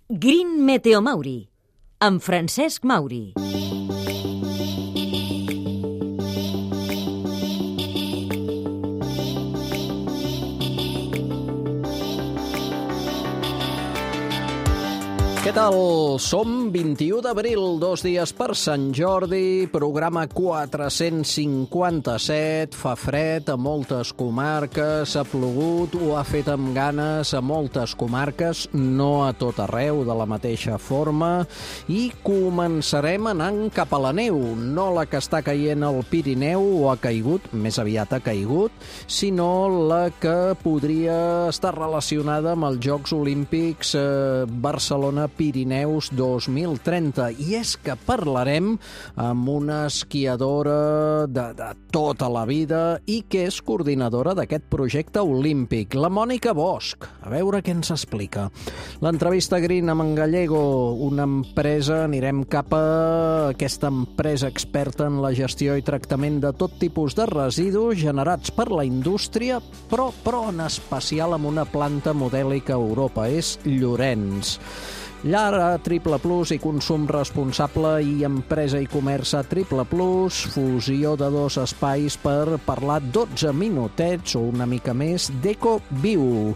Green Meteo Mauri, amb Francesc Mauri. Què tal? Som 21 d'abril, 2 dies per Sant Jordi, programa 457, fa fred a moltes comarques, ha plogut, ho ha fet amb ganes a moltes comarques, no a tot arreu de la mateixa forma, i començarem anant cap a la neu, no la que està caient al Pirineu o ha caigut, més aviat ha caigut, sinó la que podria estar relacionada amb els Jocs Olímpics Barcelona Pirineus 2030, i és que parlarem amb una esquiadora de tota la vida i que és coordinadora d'aquest projecte olímpic, la Mònica Bosch. A veure què ens explica. L'entrevista Green amb en Gallego, una empresa, anirem cap a aquesta empresa experta en la gestió i tractament de tot tipus de residus generats per la indústria, però en especial amb una planta modèlica a Europa, és Llorenç. Llar a Triple Plus i consum responsable i empresa i comerç a Triple Plus, fusió de dos espais per parlar 12 minutets o una mica més d'EcoViu,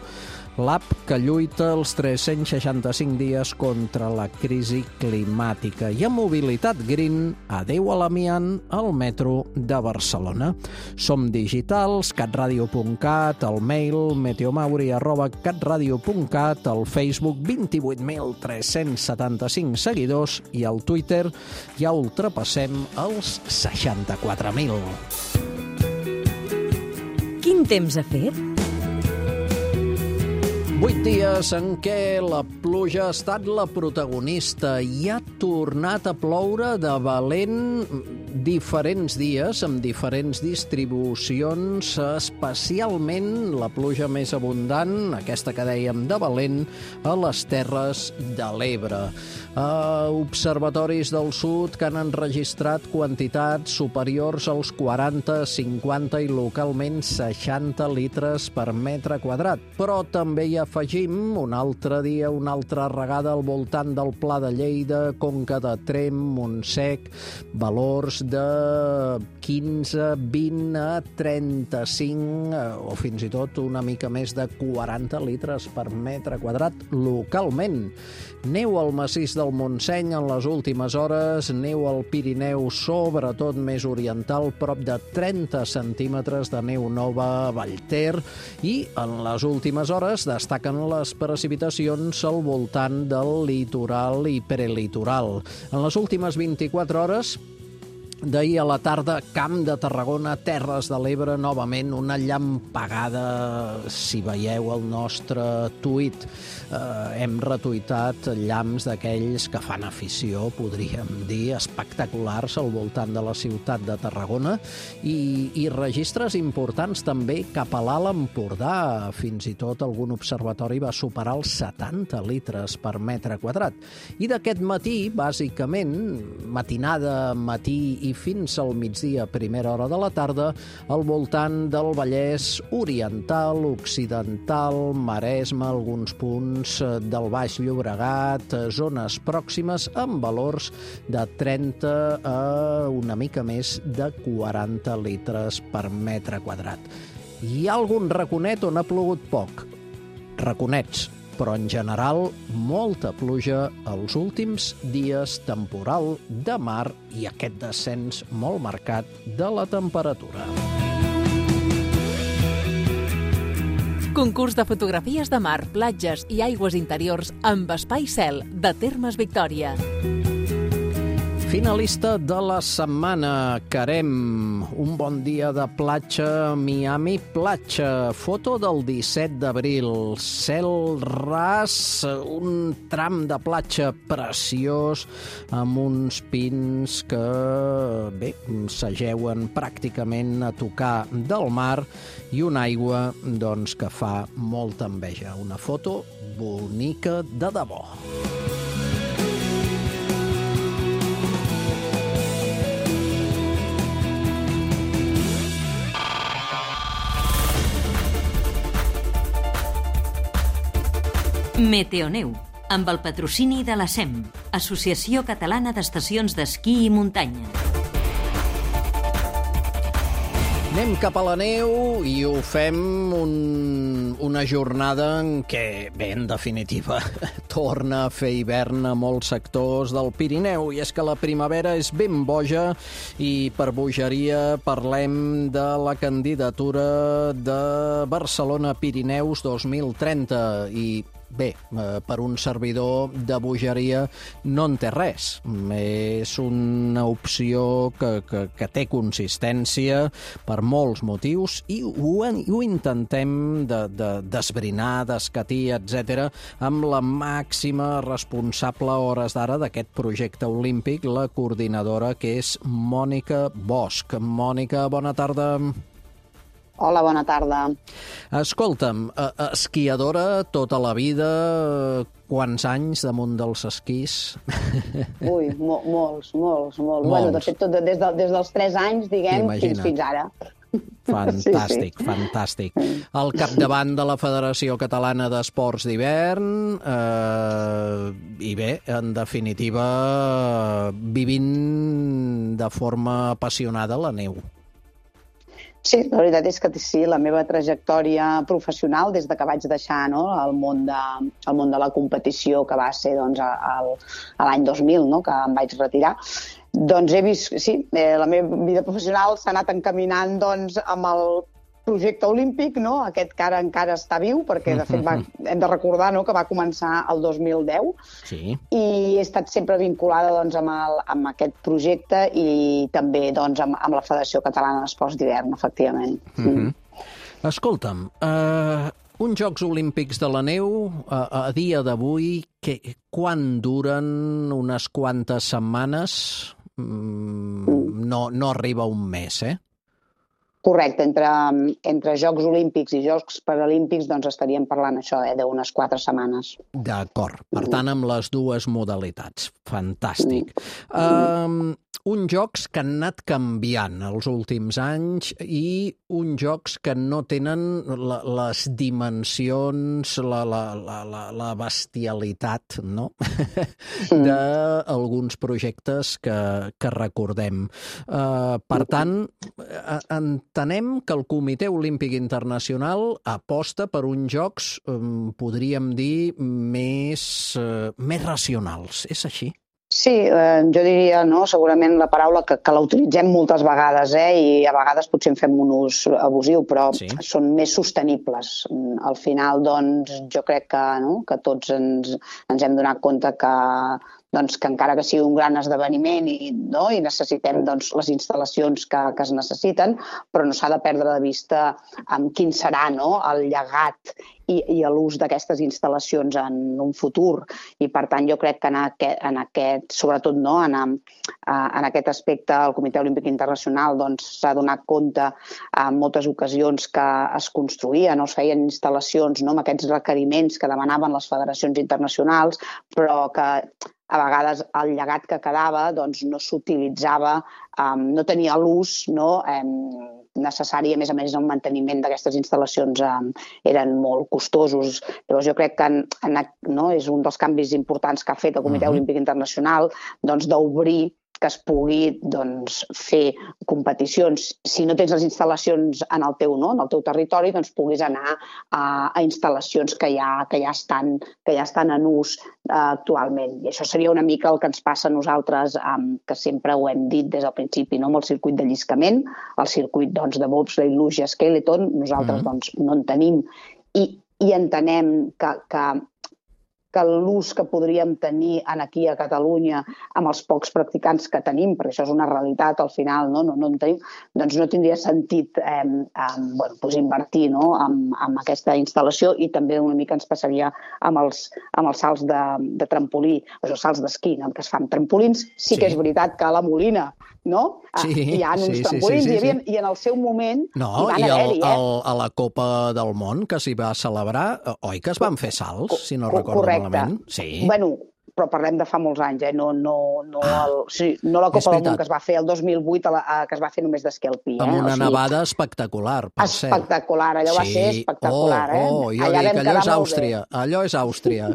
l'app que lluita els 365 dies contra la crisi climàtica. I a Mobilitat Green, adeu a l'amiant al metro de Barcelona. Som digitals, catradio.cat, el mail meteomauri@catradio.cat, el Facebook 28.375 seguidors i al Twitter ja ultrapassem els 64.000. Quin temps ha fet? 8 dies en què la pluja ha estat la protagonista i ha tornat a ploure de valent diferents dies, amb diferents distribucions, especialment la pluja més abundant, aquesta que dèiem de valent, a les Terres de l'Ebre. Observatoris del sud que han enregistrat quantitats superiors als 40, 50 i localment 60 litres per metre quadrat, però també hi afegim un altre dia, una altra regada al voltant del Pla de Lleida, Conca de Tremp, Montsec, valors de 15, 20 a 35 o fins i tot una mica més de 40 litres per metre quadrat localment. Neu al massís del Montseny en les últimes hores, neu al Pirineu, sobretot més oriental, prop de 30 centímetres de neu nova a Vallter, i en les últimes hores destaquen les precipitacions al voltant del litoral i prelitoral. En les últimes 24 hores, d'ahir a la tarda, Camp de Tarragona, Terres de l'Ebre, novament una llampegada, si veieu el nostre tuit. Hem retuitat llamps d'aquells que fan afició, podríem dir, espectaculars al voltant de la ciutat de Tarragona, i registres importants també cap a l'Alt Empordà. Fins i tot algun observatori va superar els 70 litres per metre quadrat. I d'aquest matí, bàsicament, matinada, matí i fins al migdia, primera hora de la tarda, al voltant del Vallès Oriental, Occidental, Maresme, alguns punts del Baix Llobregat, zones pròximes amb valors de 30 a una mica més de 40 litres per metre quadrat. Hi ha algun raconet on ha plogut poc? Raconets, però en general molta pluja els últims dies, temporal de mar i aquest descens molt marcat de la temperatura. Concurs de fotografies de mar, platges i aigües interiors amb Espai Cel, de Termes Victòria. Finalista de la setmana, Carem, un bon dia de platja, Miami Platja, foto del 17 d'abril, cel ras, un tram de platja preciós, amb uns pins que, bé, s'ajeuen pràcticament a tocar del mar i una aigua, doncs, que fa molta enveja. Una foto bonica de debò. Meteoneu, amb el patrocini de la SEM, Associació Catalana d'Estacions d'Esquí i Muntanya. Anem cap a la neu i ho fem una jornada en què, bé, en definitiva, torna a fer hivern a molts sectors del Pirineu. I és que la primavera és ben boja i per bogeria parlem de la candidatura de Barcelona Pirineus 2030 i bé, per un servidor de bogeria no en té res. És una opció que té consistència per molts motius i ho intentem d'esbrinar, d'escatir, etc., amb la màxima responsable a hores d'ara d'aquest projecte olímpic, la coordinadora, que és Mònica Bosch. Mònica, bona tarda. Hola, bona tarda. Escolta'm, esquiadora tota la vida, quants anys damunt dels esquís? Ui, molts. Bueno, de fet, des dels 3 anys, diguem, fins ara. Fantàstic, sí. Fantàstic. Al capdavant de la Federació Catalana d'Esports d'Hivern i bé, en definitiva, vivint de forma apassionada la neu. Sí, la veritat és que sí, la meva trajectòria professional, des que vaig deixar el món de la competició, que va ser doncs, l'any 2000, que em vaig retirar, doncs he vist, sí, la meva vida professional s'ha anat encaminant doncs, amb el projecte olímpic, aquest que ara encara està viu, perquè de fet hem de recordar que va començar el 2010, sí. I he estat sempre vinculada doncs, amb aquest projecte i també doncs, amb la Federació Catalana d'Esports d'Hivern, efectivament. Escolta'm, uns Jocs Olímpics de la neu, a dia d'avui, quan duren? Unes quantes setmanes? No arriba un mes, Correcte, entre Jocs Olímpics i Jocs Paralímpics doncs estaríem parlant això, d'unes 4 setmanes. D'acord, per tant amb les dues modalitats. Fantàstic. Uns jocs que han anat canviant els últims anys i uns jocs que no tenen les dimensions, la bestialitat, d'alguns projectes que recordem. Per tant, entenem que el Comitè Olímpic Internacional aposta per uns jocs, podríem dir, més racionals. És així? Sí, jo diria, segurament la paraula que la utilitzem moltes vegades, i a vegades potser en fem un ús abusiu, però sí. Són més sostenibles. Al final, doncs, jo crec que tots ens hem donat compte que encara que sigui un gran esdeveniment i necessitem les instal·lacions que es necessiten, però no s'ha de perdre de vista quin serà el llegat i l'ús d'aquestes instal·lacions en un futur. I, per tant, jo crec que en aquest, sobretot en aquest aspecte, el Comitè Olímpic Internacional s'ha donat compte en moltes ocasions que es construïen o es feien instal·lacions amb aquests requeriments que demanaven les federacions internacionals, però que a vegades el llegat que quedava no s'utilitzava, no tenia l'ús necessari, a més, el manteniment d'aquestes instal·lacions eren molt costosos. Llavors jo crec que és un dels canvis importants que ha fet el Comitè Olímpic Internacional d'obrir que es pugui fer competicions. Si no tens les instal·lacions en el teu territori, puguis anar a instal·lacions que ja estan en ús actualment. I això seria una mica el que ens passa a nosaltres, que sempre ho hem dit des del principi, amb el circuit de lliscament, el circuit de bobsleigh, luge, skeleton, nosaltres no en tenim i entenem que l'ús que podríem tenir aquí a Catalunya amb els pocs practicants que tenim, perquè això és una realitat, al final no en tenim, doncs no tindria sentit invertir en aquesta instal·lació, i també una mica ens passaria amb els salts de trampolí, els salts d'esquí, que es fan trampolins. Sí que és veritat que a la Molina hi ha uns trampolins, i en el seu moment hi van haver-hi. A la Copa del Món que s'hi va celebrar, oi que es van fer salts, si no recordo malament? Sí. Bueno, però parlem de fa molts anys, no la Copa del Món que es va fer el 2008, que es va fer només d'esquí alpí. Amb una nevada espectacular, per cert. Espectacular, allò va ser espectacular. Jo dic, allò és Àustria,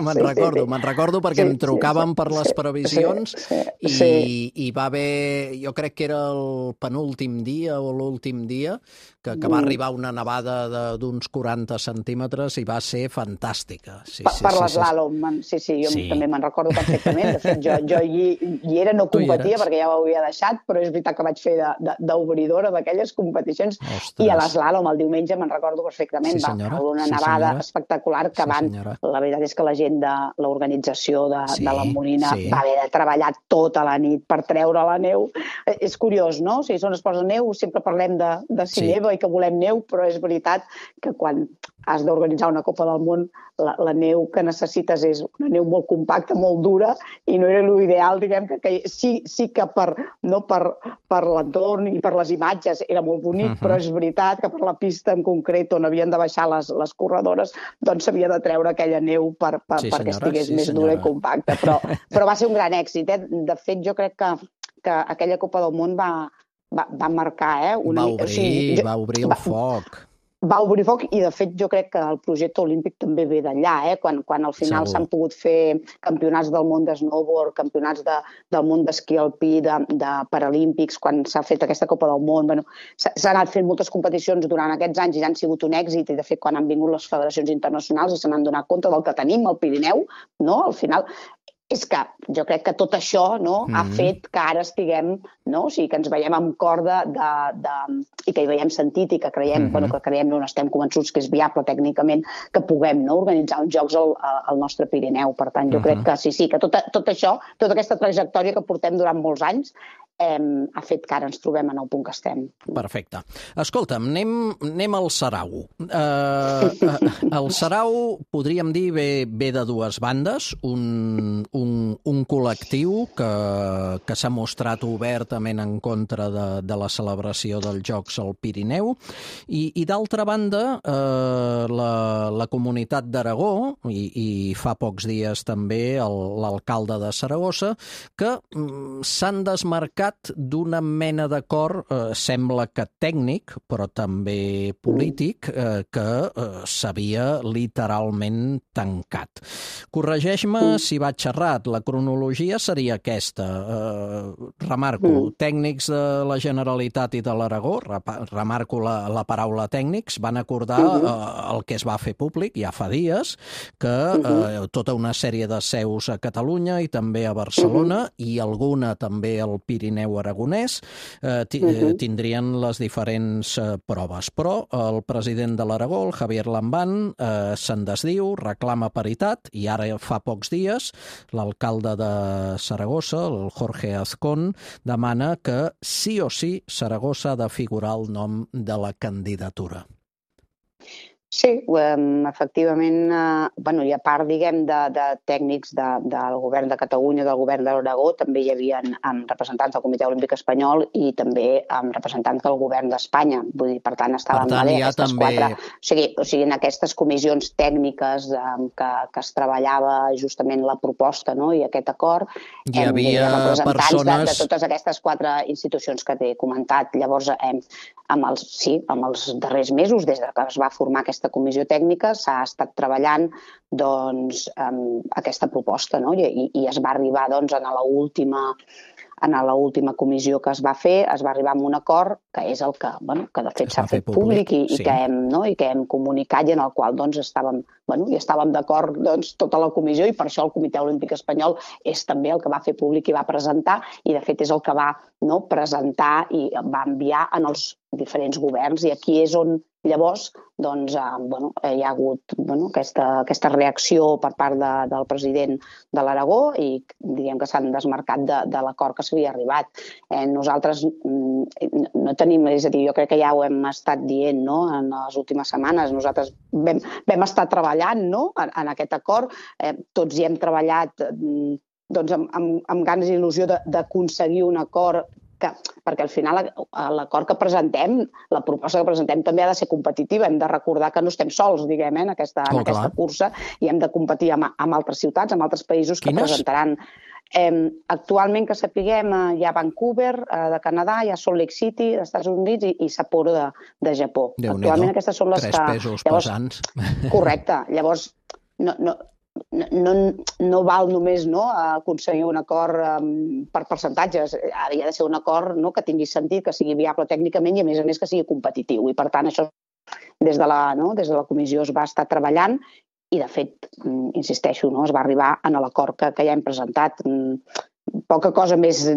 Me'n recordo perquè em trucaven per les previsions i va haver, jo crec que era el penúltim dia o l'últim dia, que va arribar una nevada d'uns 40 centímetres i va ser fantàstica. Per l'eslàlom, jo també me'n recordo perfectament. De fet, jo hi era, no competia perquè ja ho havia deixat, però és veritat que vaig fer d'obridora d'aquelles competicions. I a l'eslàlom, el diumenge, me'n recordo perfectament, va haver una nevada espectacular que la veritat és que la gent de l'organització de la Molina va haver de treballar tota la nit per treure la neu. És curiós, no? O sigui, on es posa neu, sempre parlem de si neva i que volem neu, però és veritat que quan has d'organitzar una Copa del Món, la neu que necessites és una neu molt compacta, molt dura, i no era l'ideal, diguem, que sí que per l'entorn i per les imatges era molt bonic, però és veritat que per la pista en concret on havien de baixar les corredores, doncs s'havia de treure aquella neu perquè estigués més dura i compacta. Però va ser un gran èxit. De fet, jo crec que aquella Copa del Món va marcar... Va obrir el foc. Va obrir foc i, de fet, jo crec que el projecte olímpic també ve d'allà, quan al final s'han pogut fer campionats del món de snowboard, campionats del món d'esquí alpí, de paralímpics, quan s'ha fet aquesta Copa del Món. S'han anat fent moltes competicions durant aquests anys i han sigut un èxit, i, de fet, quan han vingut les federacions internacionals i se n'han donat compte del que tenim al Pirineu, al final... És que jo crec que tot això ha fet que ara estiguem, o sigui, que ens veiem amb corda i que hi veiem sentit i que creiem, estem convençuts que és viable tècnicament que puguem organitzar uns jocs al nostre Pirineu. Per tant, jo crec que sí, que tot això, tota aquesta trajectòria que portem durant molts anys, ha fet que ara ens trobem en el punt que estem. Perfecte. Escolta'm, anem al sarau. El sarau, podríem dir, ve de dues bandes, un col·lectiu que s'ha mostrat obertament en contra de la celebració dels Jocs al Pirineu i d'altra banda, la comunitat d'Aragó i fa pocs dies també l'alcalde de Saragossa, que s'han desmarcat d'una mena d'acord, sembla que tècnic, però també polític, que s'havia literalment tancat. Corregeix-me si vaig errat, la cronologia seria aquesta. Remarco, tècnics de la Generalitat i de l'Aragó, remarco la paraula tècnics, van acordar el que es va fer públic ja fa dies, que tota una sèrie de seus a Catalunya i també a Barcelona i alguna també al Pirineu aragonès tindrien les diferents proves. Però el president de l'Aragó, el Javier Lambán, se'n desdiu, reclama paritat i ara fa pocs dies l'alcalde de Saragossa, el Jorge Azcón, demana que sí o sí Saragossa ha de figurar el nom de la candidatura. Sí, efectivament, i a part, diguem, de tècnics del govern de Catalunya, del govern de l'Aragó, també hi havia representants del Comitè Olímpic Espanyol i també representants del govern d'Espanya. Vull dir, per tant, estaven aquestes quatre... O sigui, en aquestes comissions tècniques que es treballava justament la proposta i aquest acord, hi havia representants de totes aquestes quatre institucions que t'he comentat. Llavors, amb els darrers mesos, des que es va formar aquesta comissió tècnica, s'ha estat treballant aquesta proposta, i es va arribar en l'última comissió que es va fer, es va arribar a un acord que és el que de fet s'ha fet públic i que hem comunicat i en el qual estàvem d'acord tota la comissió, i per això el Comitè Olímpic Espanyol és també el que va fer públic i va presentar, i de fet és el que va presentar i va enviar en els diferents governs, i aquí és on llavors hi ha hagut aquesta reacció per part del president de l'Aragó i diguem que s'han desmarcat de l'acord que s'havia arribat. Nosaltres no tenim, és a dir, jo crec que ja ho hem estat dient en les últimes setmanes, nosaltres vam estar treballant en aquest acord, tots hi hem treballat amb ganes i il·lusió d'aconseguir un acord perquè al final l'acord que presentem, la proposta que presentem també ha de ser competitiva. Hem de recordar que no estem sols, diguem, en aquesta cursa, i hem de competir amb altres ciutats, amb altres països que presentaran. Actualment, que sapiguem, hi ha Vancouver, de Canadà, hi ha Salt Lake City, dels Estats Units, i Sapporo, de Japó. Actualment aquestes són les que... 3 pesos pesants. Correcte. Llavors, no val només aconseguir un acord per percentatges. Havia de ser un acord que tingui sentit, que sigui viable tècnicament i, a més, que sigui competitiu. I, per tant, això des de la comissió es va estar treballant i, de fet, insisteixo, es va arribar a l'acord que ja hem presentat. Poca cosa més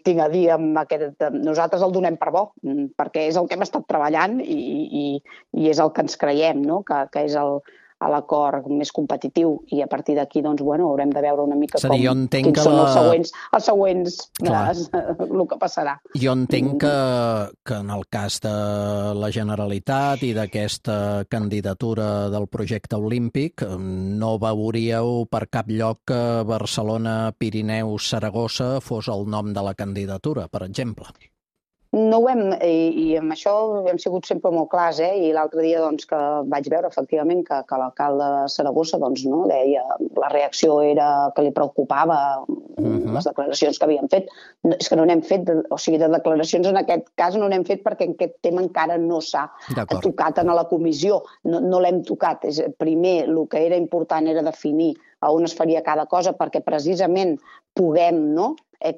tinc a dir amb aquest... Nosaltres el donem per bo, perquè és el que hem estat treballant i és el que ens creiem, que és l'acord més competitiu, i a partir d'aquí haurem de veure una mica quins són els següents el que passarà. Jo entenc que en el cas de la Generalitat i d'aquesta candidatura del projecte olímpic no veuríeu per cap lloc que Barcelona-Pirineus-Saragossa fos el nom de la candidatura, per exemple. No ho hem, i amb això hem sigut sempre molt clars, i l'altre dia que vaig veure efectivament que l'alcalde de Saragossa deia la reacció era que li preocupava les declaracions que havien fet. És que no n'hem fet, o sigui, de declaracions en aquest cas no n'hem fet perquè aquest tema encara no s'ha tocat en la comissió, no l'hem tocat. Primer, el que era important era definir on es faria cada cosa perquè precisament puguem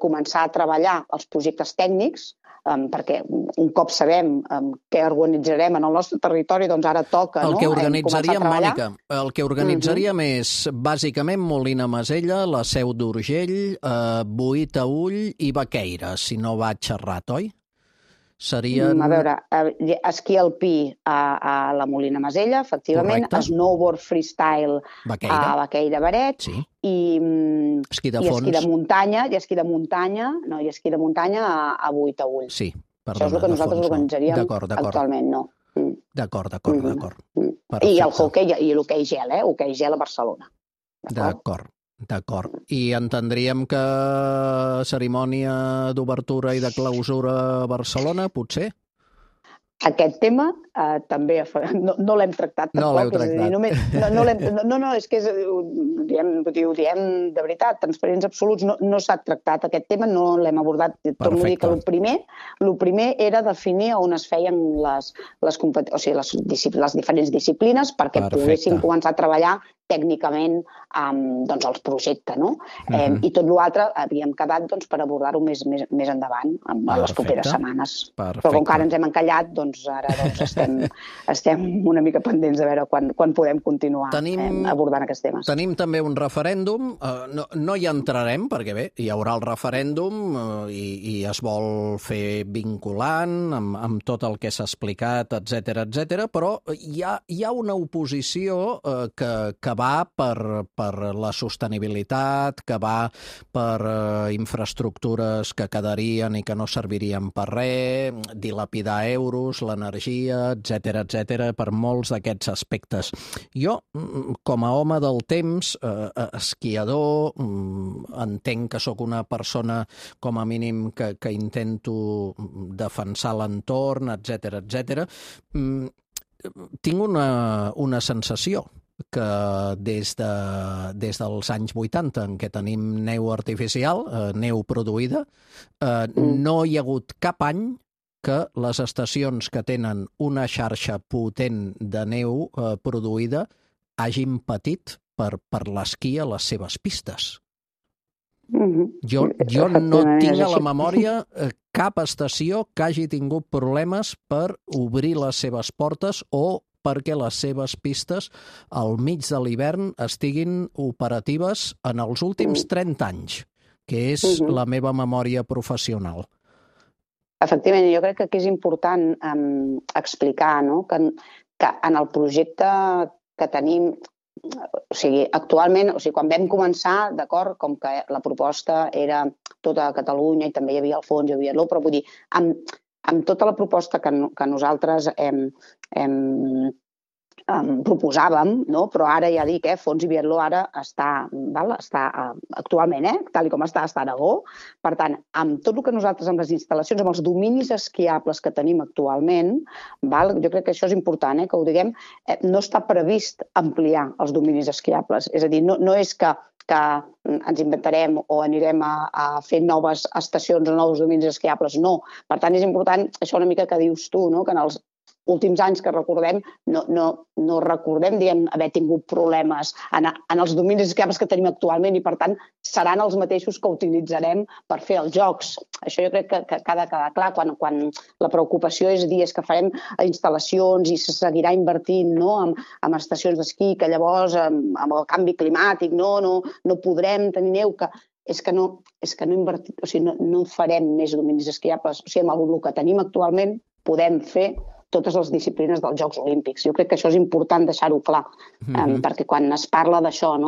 començar a treballar els projectes tècnics, perquè un cop sabem què organitzarem en el nostre territori, doncs ara toca començar a treballar. Mònica, el que organitzaríem és bàsicament Molina Masella, la Seu d'Urgell, Boí-Taüll i Baqueira, si no vaig errat, oi? Serien... A veure, esquí alpí a la Molina Masella, efectivament, snowboard freestyle a Baqueira Baret, i esquí de muntanya a Boí-Taüll. Sí, perdona. Això és el que nosaltres organitzaríem actualment, no. D'acord. I el hoquei i l'hoquei gel, hoquei gel a Barcelona. D'acord. I entendríem que cerimònia d'obertura i de clausura a Barcelona, potser? Aquest tema també no l'hem tractat tampoc. No l'heu tractat. No, és que ho diem de veritat, transparents absoluts, no s'ha tractat aquest tema, no l'hem abordat. Torno a dir que el primer era definir on es feien les diferents disciplines perquè poguéssim començar a treballar tècnicament els projectes, no? I tot l'altre havíem quedat per abordar-ho més endavant, en les properes setmanes. Però com que ara ens hem encallat, ara estem una mica pendents de veure quan podem continuar abordant aquests temes. Tenim també un referèndum, no hi entrarem, perquè bé, hi haurà el referèndum i es vol fer vinculant amb tot el que s'ha explicat, etcètera, però hi ha una oposició que va per la sostenibilitat, que va per infraestructures que quedarien i que no servirien per res, dilapidar euros, l'energia, etcètera, per molts d'aquests aspectes. Jo, com a home del temps, esquiador, entenc que sóc una persona, com a mínim, que intento defensar l'entorn, etcètera, tinc una sensació que des dels anys 80, en què tenim neu artificial, neu produïda, no hi ha hagut cap any que les estacions que tenen una xarxa potent de neu produïda hagin patit per l'esquí a les seves pistes. Jo no tinc a la memòria cap estació que hagi tingut problemes per obrir les seves portes o perquè les seves pistes al mig de l'hivern estiguin operatives en els últims 30 anys, que és la meva memòria professional. Efectivament, jo crec que aquí és important explicar que en el projecte que tenim, actualment, quan vam començar, d'acord, com que la proposta era tota Catalunya i també hi havia el fons, hi havia l'O, però vull dir, amb tota la proposta que nosaltres hem proposàvem, no? Però ara ja dic, Fons i Biatló ara està actualment, tal com està a Aragó. Per tant, amb tot el que nosaltres, amb les instal·lacions, amb els dominis esquiables que tenim actualment, jo crec que això és important, que ho diguem, no està previst ampliar els dominis esquiables. És a dir, no és que ens inventarem o anirem a fer noves estacions o nous dominis esquiables, no. Per tant, és important això una mica que dius tu, no? Que en els últims anys que recordem, no recordem, diguem, haver tingut problemes en els dominis esquiables que tenim actualment i, per tant, seran els mateixos que utilitzarem per fer els jocs. Això jo crec que ha de quedar clar quan la preocupació és dir que farem instal·lacions i se seguirà invertint en estacions d'esquí, que llavors amb el canvi climàtic no podrem tenir neu, és que no invertim, o sigui, no farem més dominis esquiables. O sigui, amb el que tenim actualment podem fer totes les disciplines dels Jocs Olímpics. Jo crec que això és important deixar-ho clar, perquè quan es parla d'això,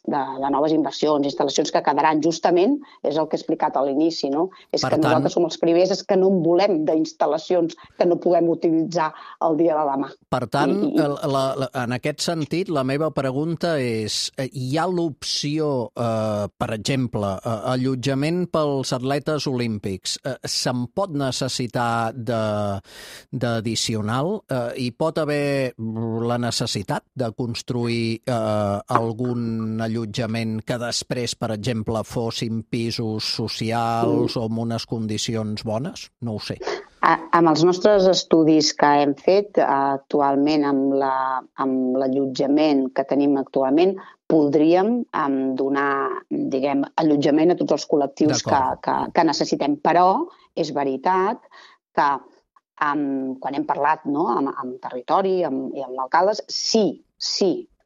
de noves inversions, instal·lacions que quedaran, justament, és el que he explicat a l'inici, no? És que nosaltres som els primers, és que no en volem d'instal·lacions que no puguem utilitzar el dia de demà. Per tant, en aquest sentit, la meva pregunta és, hi ha l'opció, per exemple, allotjament pels atletes olímpics, se'n pot necessitar d'addicional? Hi pot haver la necessitat de construir algun allotjament que després, per exemple, fossin pisos socials o amb unes condicions bones? No ho sé. Amb els nostres estudis que hem fet actualment, amb l'allotjament que tenim actualment, podríem donar, diguem, allotjament a tots els col·lectius que necessitem. Però és veritat que quan hem parlat amb territori i amb alcaldes, sí,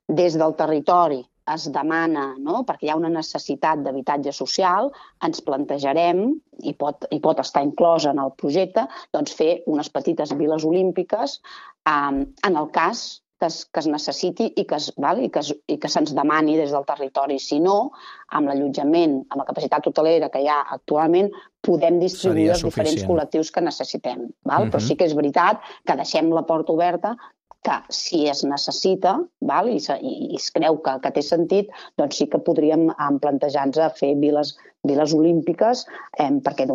des del territori es demana, perquè hi ha una necessitat d'habitatge social, ens plantejarem, i pot estar inclòs en el projecte, doncs fer unes petites viles olímpiques en el cas que es necessiti i que se'ns demani des del territori. Si no, amb l'allotjament, amb la capacitat hotelera que hi ha actualment, podem distribuir els diferents col·lectius que necessitem. Però sí que és veritat que deixem la porta oberta que si es necessita i es creu que té sentit, doncs sí que podríem plantejar-nos fer viles olímpiques perquè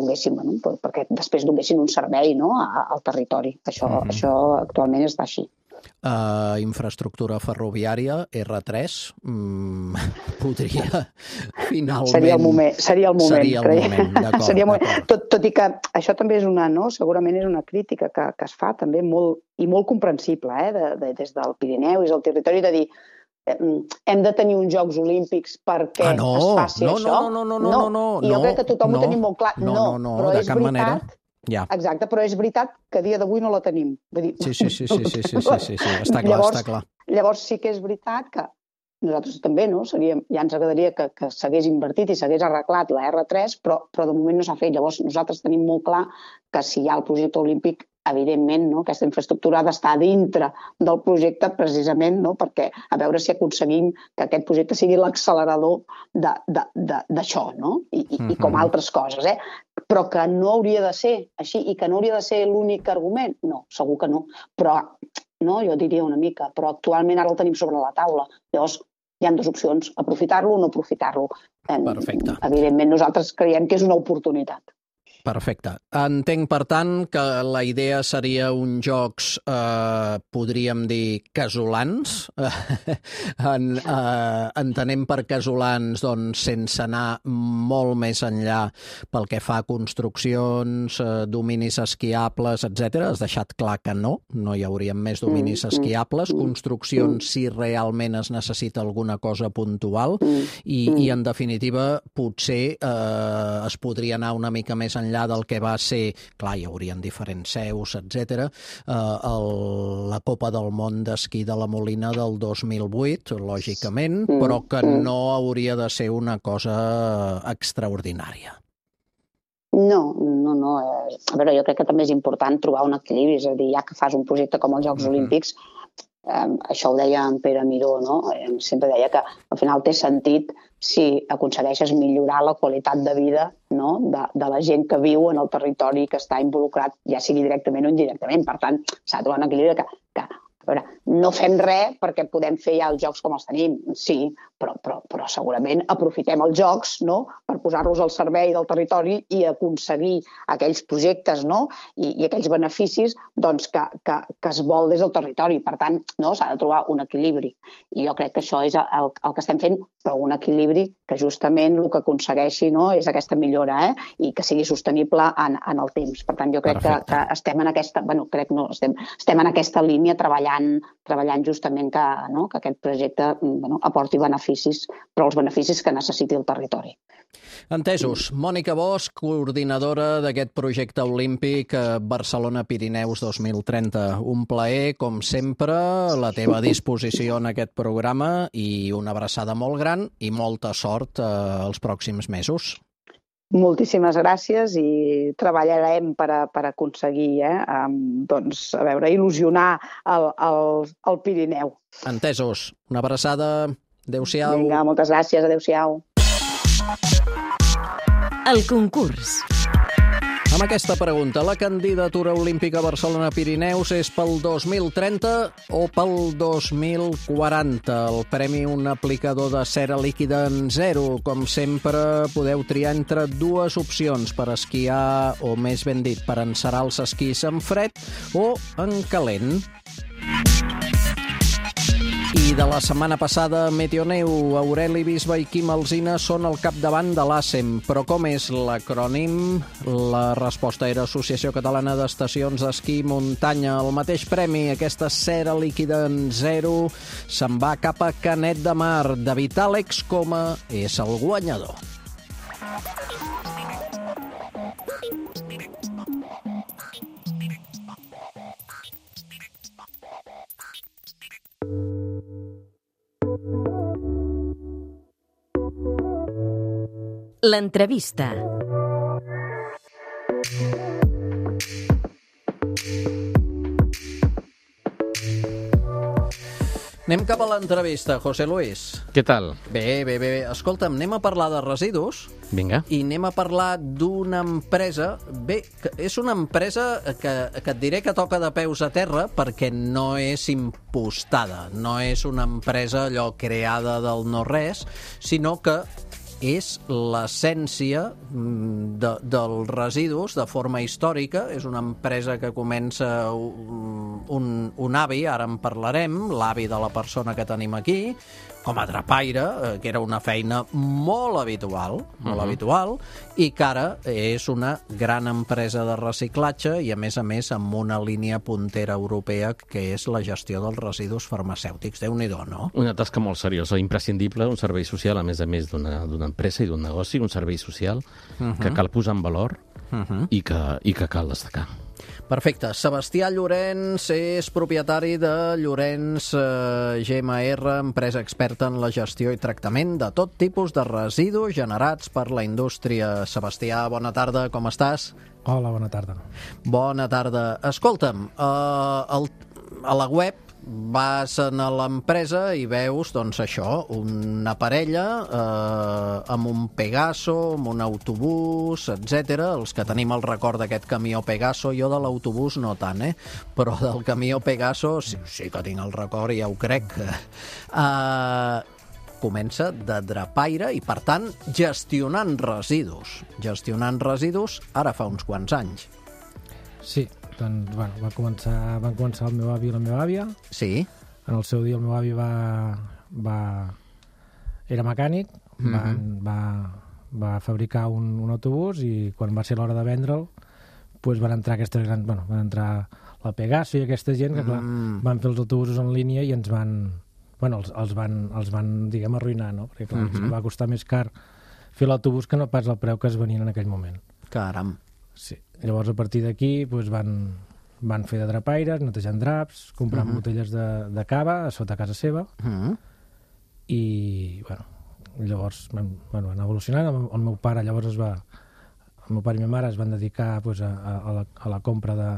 després donguessin un servei al territori. Això actualment està així. Infraestructura ferroviària, R3, podria finalment... Seria el moment, d'acord. Tot i que això també és segurament és una crítica que es fa també molt comprensible des del Pirineu i del territori, de dir hem de tenir uns Jocs Olímpics perquè es faci això. No. I jo crec que tothom ho tenim molt clar. No, de cap manera. Exacte, però és veritat que a dia d'avui no la tenim. Sí, està clar. Llavors sí que és veritat que nosaltres també, ja ens agradaria que s'hagués invertit i s'hagués arreglat la R3, però de moment no s'ha fet. Llavors nosaltres tenim molt clar que si hi ha el projecte olímpic, evidentment, aquesta infraestructura ha d'estar dintre del projecte precisament perquè a veure si aconseguim que aquest projecte sigui l'accelerador d'això, i com altres coses, però que no hauria de ser així i que no hauria de ser l'únic argument. No, segur que no, però jo diria una mica, però actualment ara el tenim sobre la taula. Llavors hi ha dues opcions, aprofitar-lo o no aprofitar-lo. Perfecte. Evidentment nosaltres creiem que és una oportunitat. Perfecte. Entenc, per tant, que la idea seria uns jocs, podríem dir, casolans. Entenem per casolans, doncs, sense anar molt més enllà pel que fa a construccions, dominis esquiables, etc. Has deixat clar que no hi haurien més dominis esquiables. Construccions, si realment es necessita alguna cosa puntual. I en definitiva, potser es podria anar una mica més enllà del que va ser, clar, hi haurien diferents seus, etc. La Copa del Món d'Esquí de la Molina del 2008, lògicament, però que no hauria de ser una cosa extraordinària. No. A veure, jo crec que també és important trobar un equilibri, és a dir, ja que fas un projecte com els Jocs Olímpics, això ho deia en Pere Miró, sempre deia que al final té sentit si aconsegueixes millorar la qualitat de vida de la gent que viu en el territori que està involucrat, ja sigui directament o indirectament. Per tant, s'ha de trobar un equilibri que A veure, no fem res perquè podem fer ja els jocs com els tenim, sí, però segurament aprofitem els jocs, no?, per posar-los al servei del territori i aconseguir aquells projectes, no?, i aquells beneficis doncs, que es vol des del territori. Per tant, no, s'ha de trobar un equilibri. I jo crec que això és el que estem fent, però un equilibri que justament el que aconsegueixi, no, és aquesta millora, i que sigui sostenible en el temps. Per tant, jo crec que estem en aquesta... estem en aquesta línia treballant justament que aquest projecte aporti beneficis, però els beneficis que necessiti el territori. Entesos. Mònica Bosch, coordinadora d'aquest projecte olímpic Barcelona-Pirineus 2030. Un plaer, com sempre, a la teva disposició en aquest programa i una abraçada molt gran i molta sort els pròxims mesos. Moltíssimes gràcies i treballarem per aconseguir il·lusionar el Pirineu. Entesos. Una abraçada. Adéu-siau. Vinga, moltes gràcies. Adéu-siau. El concurs. Amb aquesta pregunta, la candidatura olímpica Barcelona-Pirineus és pel 2030 o pel 2040? El premi, un aplicador de cera líquida en zero. Com sempre, podeu triar entre dues opcions per esquiar, o més ben dit, per encerar els esquís en fred o en calent. I de la setmana passada, Meteoneu, Aureli Bisbe i Quim Alsina són al capdavant de l'ASEM. Però com és l'acrònim? La resposta era Associació Catalana d'Estacions d'Esquí i Muntanya. El mateix premi, aquesta cera líquida en zero, se'n va cap a Canet de Mar. David Àlex Coma és el guanyador. L'entrevista. Anem cap a l'entrevista, José Luis. Què tal? Bé. Escolta'm, anem a parlar de residus. Vinga. I anem a parlar d'una empresa... Bé, és una empresa que et diré que toca de peus a terra perquè no és impostada. No és una empresa allò creada del no-res, sinó que és l'essència dels residus de forma històrica. És una empresa que comença un avi, ara en parlarem, l'avi de la persona que tenim aquí, com a drapaire, que era una feina molt habitual, i que ara és una gran empresa de reciclatge i, a més, amb una línia puntera europea que és la gestió dels residus farmacèutics. Déu-n'hi-do, no? Una tasca molt seriosa, imprescindible, un servei social, a més d'una empresa i d'un negoci, un servei social que cal posar en valor i que cal destacar. Perfecte. Sebastià Llorenç és propietari de Llorenç GMR, empresa experta en la gestió i tractament de tot tipus de residus generats per la indústria. Sebastià, bona tarda, com estàs? Hola, bona tarda. Bona tarda. Escolta'm, a la web vas a l'empresa i veus, doncs això, una parella amb un Pegaso, amb un autobús, etc. Els que tenim el record d'aquest camió Pegaso, jo de l'autobús no tant, però del camió Pegaso sí que tinc el record, ja ho crec. Comença de drapaire i, per tant, gestionant residus. Gestionant residus ara fa uns quants anys. Sí, doncs, van començar el meu avi i la meva àvia. Sí. En el seu dia el meu avi era mecànic, va fabricar un autobús i quan va ser l'hora de vendre'l van entrar aquestes grans... van entrar la Pegaso i aquesta gent que, clar, van fer els autobusos en línia i ens van... els van, diguem, arruïnar, no? Perquè, clar, va costar més car fer l'autobús que no pas el preu que es venien en aquell moment. Caram. Sí. Llavors, a partir d'aquí, van fer de drapaires, netejant draps, comprant botelles de cava a sota casa seva, i, llavors van evolucionant. El meu pare, llavors, el meu pare i ma mare es van dedicar a la compra de...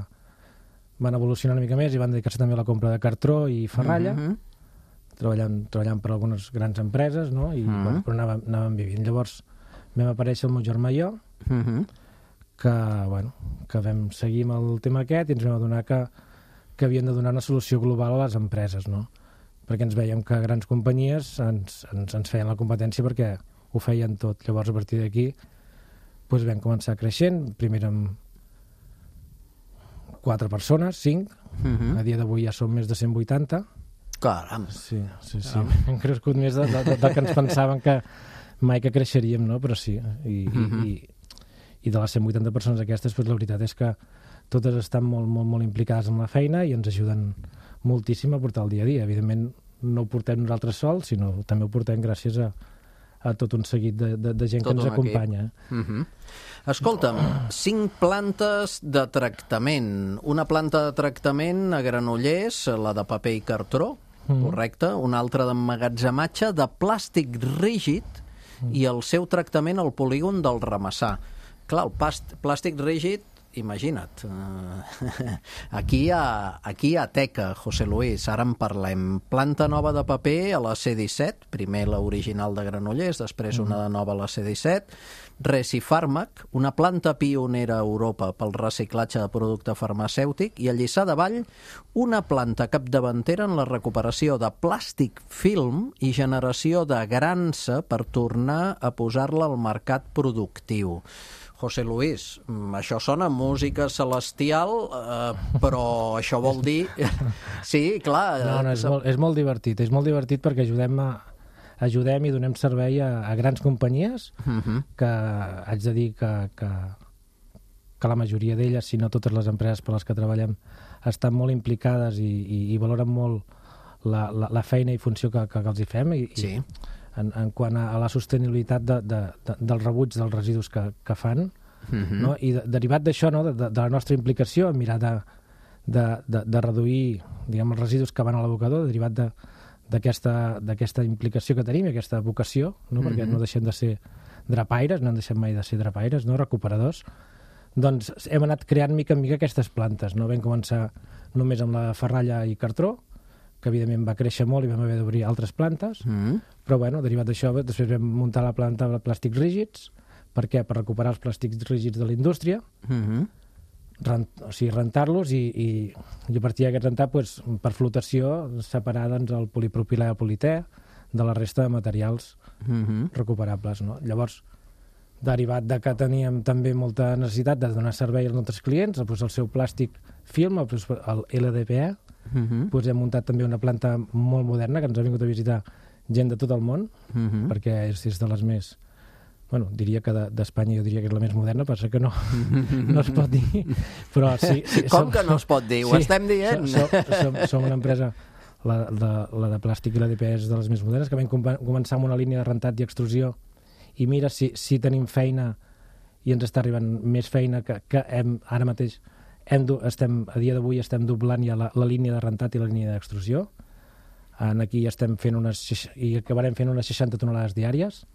Van evolucionar una mica més i van dedicar-se també a la compra de cartró i ferralla, treballant per algunes grans empreses, no? Però anàvem vivint. Llavors vam aparèixer el meu germà i jo, que vam seguir amb el tema aquest i ens vam adonar que que havien de donar una solució global a les empreses, no? Perquè ens veiem que grans companyies ens feien la competència perquè ho feien tot. Llavors, a partir d'aquí, doncs vam començar creixent, primer amb 4 persones, 5, a dia d'avui ja som més de 180. Caram! Sí. Hem crescut més del que ens pensaven que mai que creixeríem, no? Però sí, i de les 180 persones aquestes, doncs la veritat és que totes estan molt implicades en la feina i ens ajuden moltíssim a portar el dia a dia. Evidentment, no ho portem nosaltres sols, sinó també ho portem gràcies a tot un seguit de gent que ens acompanya. Escolta'm, 5 plantes de tractament. Una planta de tractament a Granollers, la de paper i cartró, correcte, una altra d'emmagatzematge de plàstic rígid i el seu tractament al polígon del Ramassà. Clar, el plàstic rígid, imagina't, aquí hi ha teca, José Luis, ara en parlem. Planta nova de paper a la C-17, primer l'original de Granollers, després una de nova a la C-17, Recifàrmac, una planta pionera a Europa pel reciclatge de producte farmacèutic, i a Lliçà de Vall, una planta capdavantera en la recuperació de plàstic film i generació de grança per tornar a posar-la al mercat productiu. José Luis, això sona música celestial, però això vol dir... Sí, clar... No, és molt divertit. És molt divertit perquè ajudem i donem servei a grans companyies que haig de dir que la majoria d'elles, si no totes les empreses per les que treballem, estan molt implicades i valoren molt la feina i funció que els hi fem. Sí. En quant a la sostenibilitat del rebuig dels residus que fan, no? I derivat d'això, no? de la nostra implicació en mirar de reduir, diguem, els residus que van a l'abocador, derivat d'aquesta implicació que tenim, aquesta vocació, no? Perquè no deixem de ser drapaires, no hem deixat mai de ser drapaires, no? Recuperadors, doncs hem anat creant mica en mica aquestes plantes, no? Vam començar només amb la ferralla i cartró, que evidentment va créixer molt i vam haver d'obrir altres plantes, però bueno, derivat d'això després vam muntar la planta de plàstics rígids. Per què? Per recuperar els plàstics rígids de la indústria, o sigui, rentar-los i a partir d'aquest rentar, doncs, per flotació, separar doncs, el polipropilè i el politer de la resta de materials recuperables. No? Llavors, derivat de que teníem també molta necessitat de donar servei als nostres clients, doncs, el seu plàstic film, el LDPE, doncs hem muntat també una planta molt moderna que ens ha vingut a visitar gent de tot el món, perquè és de les més... Bueno, diria que d'Espanya jo diria que és la més moderna, passa que no es pot dir, però sí... Com que no es pot dir? Ho estem dient! Som una empresa, la de plàstic i la d'EPE és de les més modernes, que vam començar amb una línia de rentat i extrusió, i mira si tenim feina i ens està arribant més feina que ara mateix a dia d'avui estem doblant ja la línia de rentat i la línia d'extrusió. Aquí estem fent i acabarem fent unes 60 tonelades diàries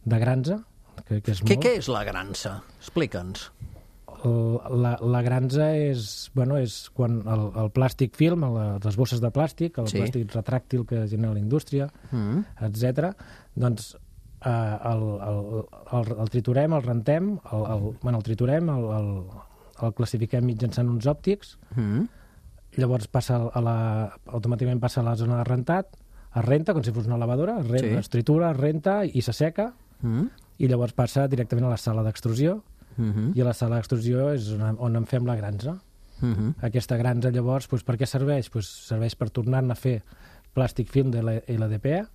de granza, que és molt. Què és la granza? Explica'ns. La granza és quan el plàstic film, les bosses de plàstic, el plàstic retràctil que genera la indústria, etc. Doncs el triturem, el rentem, el triturem, el classifiquem mitjançant uns òptics, llavors automàticament passa a la zona de rentat, es renta com si fos una lavadora, es tritura, es renta i s'asseca, i llavors passa directament a la sala d'extrusió, i a la sala d'extrusió és on en fem la granza. Aquesta granza llavors, per què serveix? Serveix per tornar-ne a fer plàstic film de LDPE,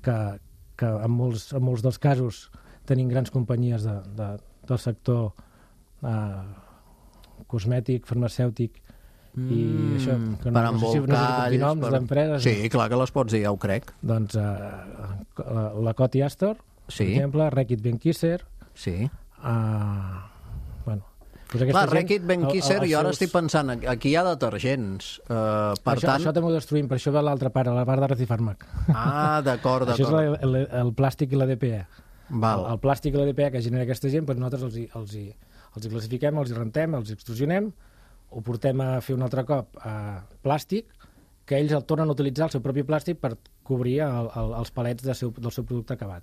que en molts dels casos tenim grans companyies del sector cosmètic, farmacèutic, i això, que per embolcalls, noms d'empreses. Sí, clar que les pots dir, ja ho crec. Doncs la Coty Astor, per exemple, Reckitt Benckiser. Sí. Clar, Reckitt Benckiser, jo ara estic pensant, aquí hi ha detergents. Això també ho destruïm, per això ve l'altra part, la part de Recifàrmac. Ah, d'acord. Això és el plàstic i la DPE. El plàstic i la DPE que genera aquesta gent, nosaltres els hi classifiquem, els hi rentem, els hi extrusionem, ho portem a fer un altre cop a plàstic, que ells el tornen a utilitzar el seu propi plàstic per cobrir els palets del seu producte acabat.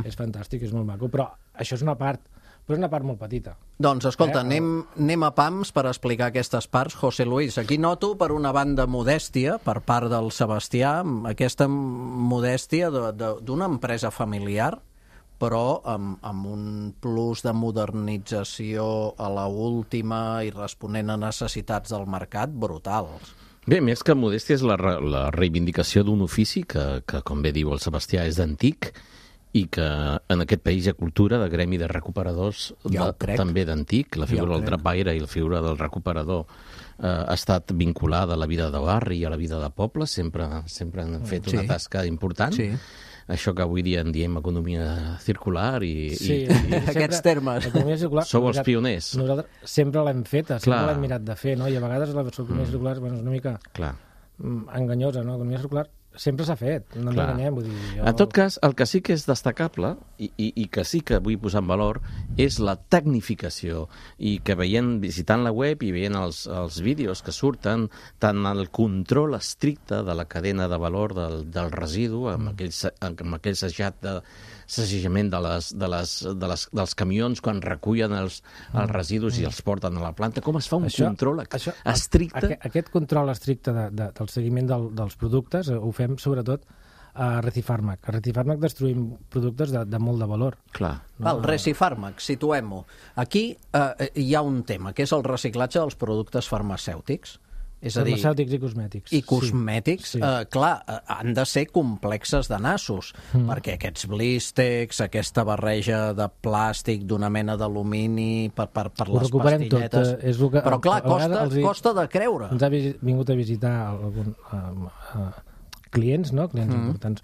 És fantàstic, és molt maco, però això és una part, però és una part molt petita. Doncs, escolta, anem a pams per explicar aquestes parts. José Luis, aquí noto, per una banda, modèstia per part del Sebastià, aquesta modèstia d'una empresa familiar, però amb un plus de modernització a la última i responent a necessitats del mercat brutals. Bé, més que modèstia és la reivindicació d'un ofici que, com bé diu el Sebastià, és d'antic i que en aquest país hi ha cultura de gremi de recuperadors també d'antic. La figura del drapaire i la figura del recuperador ha estat vinculada a la vida de barri i a la vida de poble, sempre han fet una tasca important. Sí. Això que avui dia en diem economia circular i aquests termes. Sou els pioners. Nosaltres sempre l'hem feta, sempre l'hem mirat de fer, no? I a vegades l'economia circular és una mica enganyosa, no? L'economia circular sempre s'ha fet, no ens enganyem. Vull dir, En tot cas, el que sí que és destacable i que sí que vull posar en valor és la tecnificació i que visitant la web i veient els vídeos que surten, tant el control estricte de la cadena de valor del residu, amb aquell segellament dels camions quan recullen els residus i els porten a la planta. Com es fa un control estricte? Aquest control estricte del seguiment dels productes ho fem sobretot a Recifàrmac. A Recifàrmac destruïm productes de molt de valor. Clar. El Recifàrmac, situem-ho. Aquí hi ha un tema, que és el reciclatge dels productes farmacèutics. És a dir, farmacèutics i cosmètics. I cosmètics, clar, han de ser complexes de nassos, perquè aquests blístex, aquesta barreja de plàstic d'una mena d'alumini per les pastilletes... Però clar, costa de creure. Ens ha vingut a visitar clients, no? Clients importants.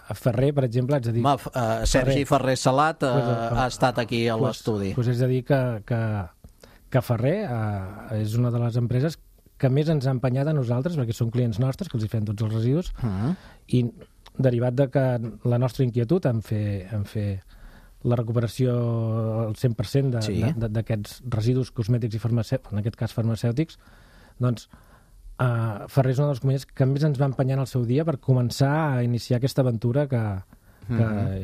A Ferrer, per exemple, haig de dir... Sergi Ferrer Salat ha estat aquí a l'estudi. Doncs haig de dir que Ferrer és una de les empreses que més ens ha empenyat a nosaltres, perquè són clients nostres, que els hi fem tots els residus, i derivat de que la nostra inquietud en fer la recuperació al 100% d'aquests residus cosmètics i farmacèutics, en aquest cas farmacèutics, doncs Ferrer és una de les companyies que més ens va empenyar en el seu dia per començar a iniciar aquesta aventura que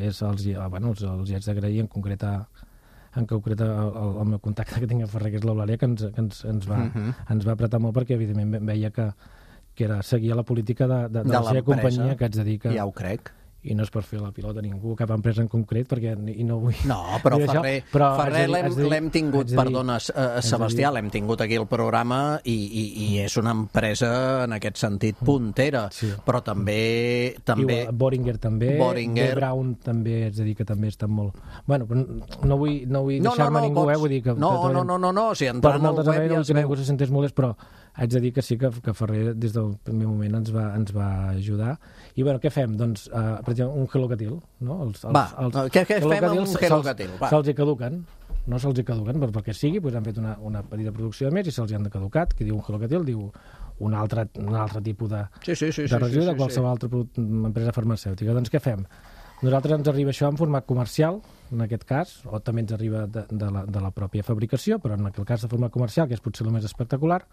és els hi haig d'agrair en concret el meu contacte que tinc a Ferrer, que és l'Eulàlia, que ens va apretar molt perquè evidentment veia que seguia la política de la seva companyia, que haig de dir que... Ja ho crec. I no és per fer la pilota a ningú, cap empresa en concret, perquè no vull... No, però Ferrer l'hem tingut, perdona, Sebastià, l'hem tingut aquí al programa i és una empresa, en aquest sentit, puntera, però també... Boehringer també, B. Braun també, és a dir, que també estan molt... Bueno, no vull deixar-me ningú, vull dir que... No, si entrant al web ja es veu... Ningú se sentés molest, però haig de dir que sí que Ferrer des del primer moment ens va ajudar. I bueno, què fem? Doncs, per exemple, un gelocatil, no? Què fem amb un gelocatil? Se'ls hi caduquen, no se'ls hi caduquen, però perquè sigui, doncs han fet una petita producció de més i se'ls hi han caducat. Qui diu un gelocatil diu un altre tipus de residu de qualsevol altra empresa farmacèutica. Doncs què fem? Nosaltres ens arriba això en format comercial, en aquest cas, o també ens arriba de la pròpia fabricació, però en aquest cas de format comercial, que és potser el més espectacular,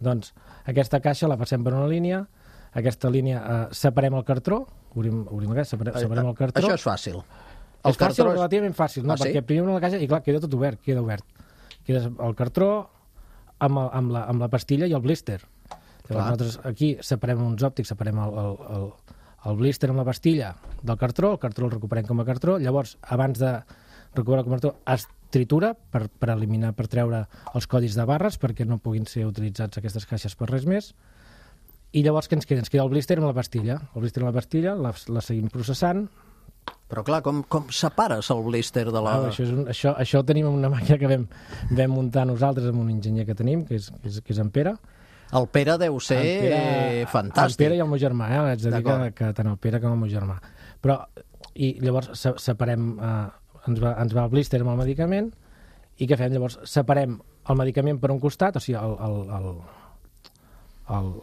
doncs aquesta caixa la passem per una línia, aquesta línia separem el cartró, obrim la caixa, separem el cartró. Això és fàcil. És fàcil, relativament fàcil, no? Perquè primer obrim la caixa i clar, queda tot obert, queda el cartró amb la pastilla i el blister. Llavors nosaltres aquí separem uns òptics, separem el blister amb la pastilla del cartró, el cartró el recuperem com a cartró, llavors abans de recuperar el cartró es tritura per eliminar, per treure els codis de barres perquè no puguin ser utilitzats aquestes caixes per res més. I llavors què ens queda? Ens queda el blister amb la pastilla. El blister amb la pastilla la seguim processant. Però clar, com separes el blister de la... Això ho tenim en una màquina que vam muntar nosaltres amb un enginyer que tenim, que és en Pere. El Pere deu ser fantàstic. El Pere i el meu germà, haig de dir que tant el Pere com el meu germà. I llavors separem... ens va el blister amb el medicament i què fem? Llavors separem el medicament per un costat, o sigui,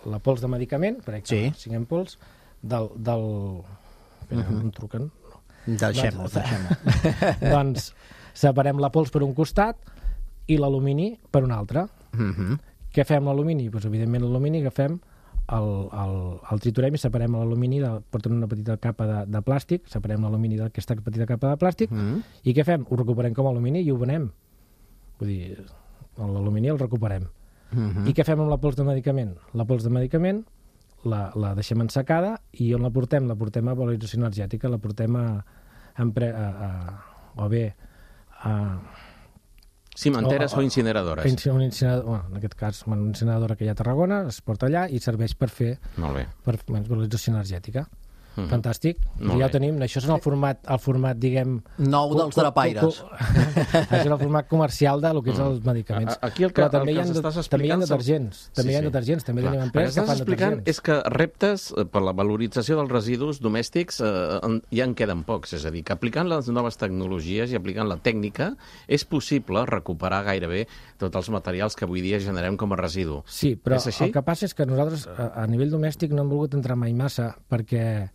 la pols de medicament, per exemple, 5 ampols, em truquen. Deixem-ho. Doncs separem la pols per un costat i l'alumini per un altre. Què fem l'alumini? Doncs evidentment l'alumini agafem el triturem i separem l'alumini, portem una petita capa de plàstic, separem l'alumini d'aquesta petita capa de plàstic, i què fem? Ho recuperem com a alumini i ho venem. Vull dir, l'alumini el recuperem. I què fem amb la pols de medicament? La pols de medicament la deixem ensecada i on la portem? La portem a valorització energètica, la portem o bé a cimenteres o incineradores. En aquest cas, una incineradora que hi ha a Tarragona, es porta allà i serveix per fer valorització energètica. Fantàstic. Ja ho tenim. Això és el format, diguem... Nou dels drapaires. Això és el format comercial del que és els medicaments. Però també hi ha detergents. També hi ha detergents. També tenim empreses que fan detergents. És que reptes per la valorització dels residus domèstics ja en queden pocs. És a dir, que aplicant les noves tecnologies i aplicant la tècnica és possible recuperar gairebé tots els materials que avui dia generem com a residu. Sí, però el que passa és que nosaltres a nivell domèstic no hem volgut entrar mai massa perquè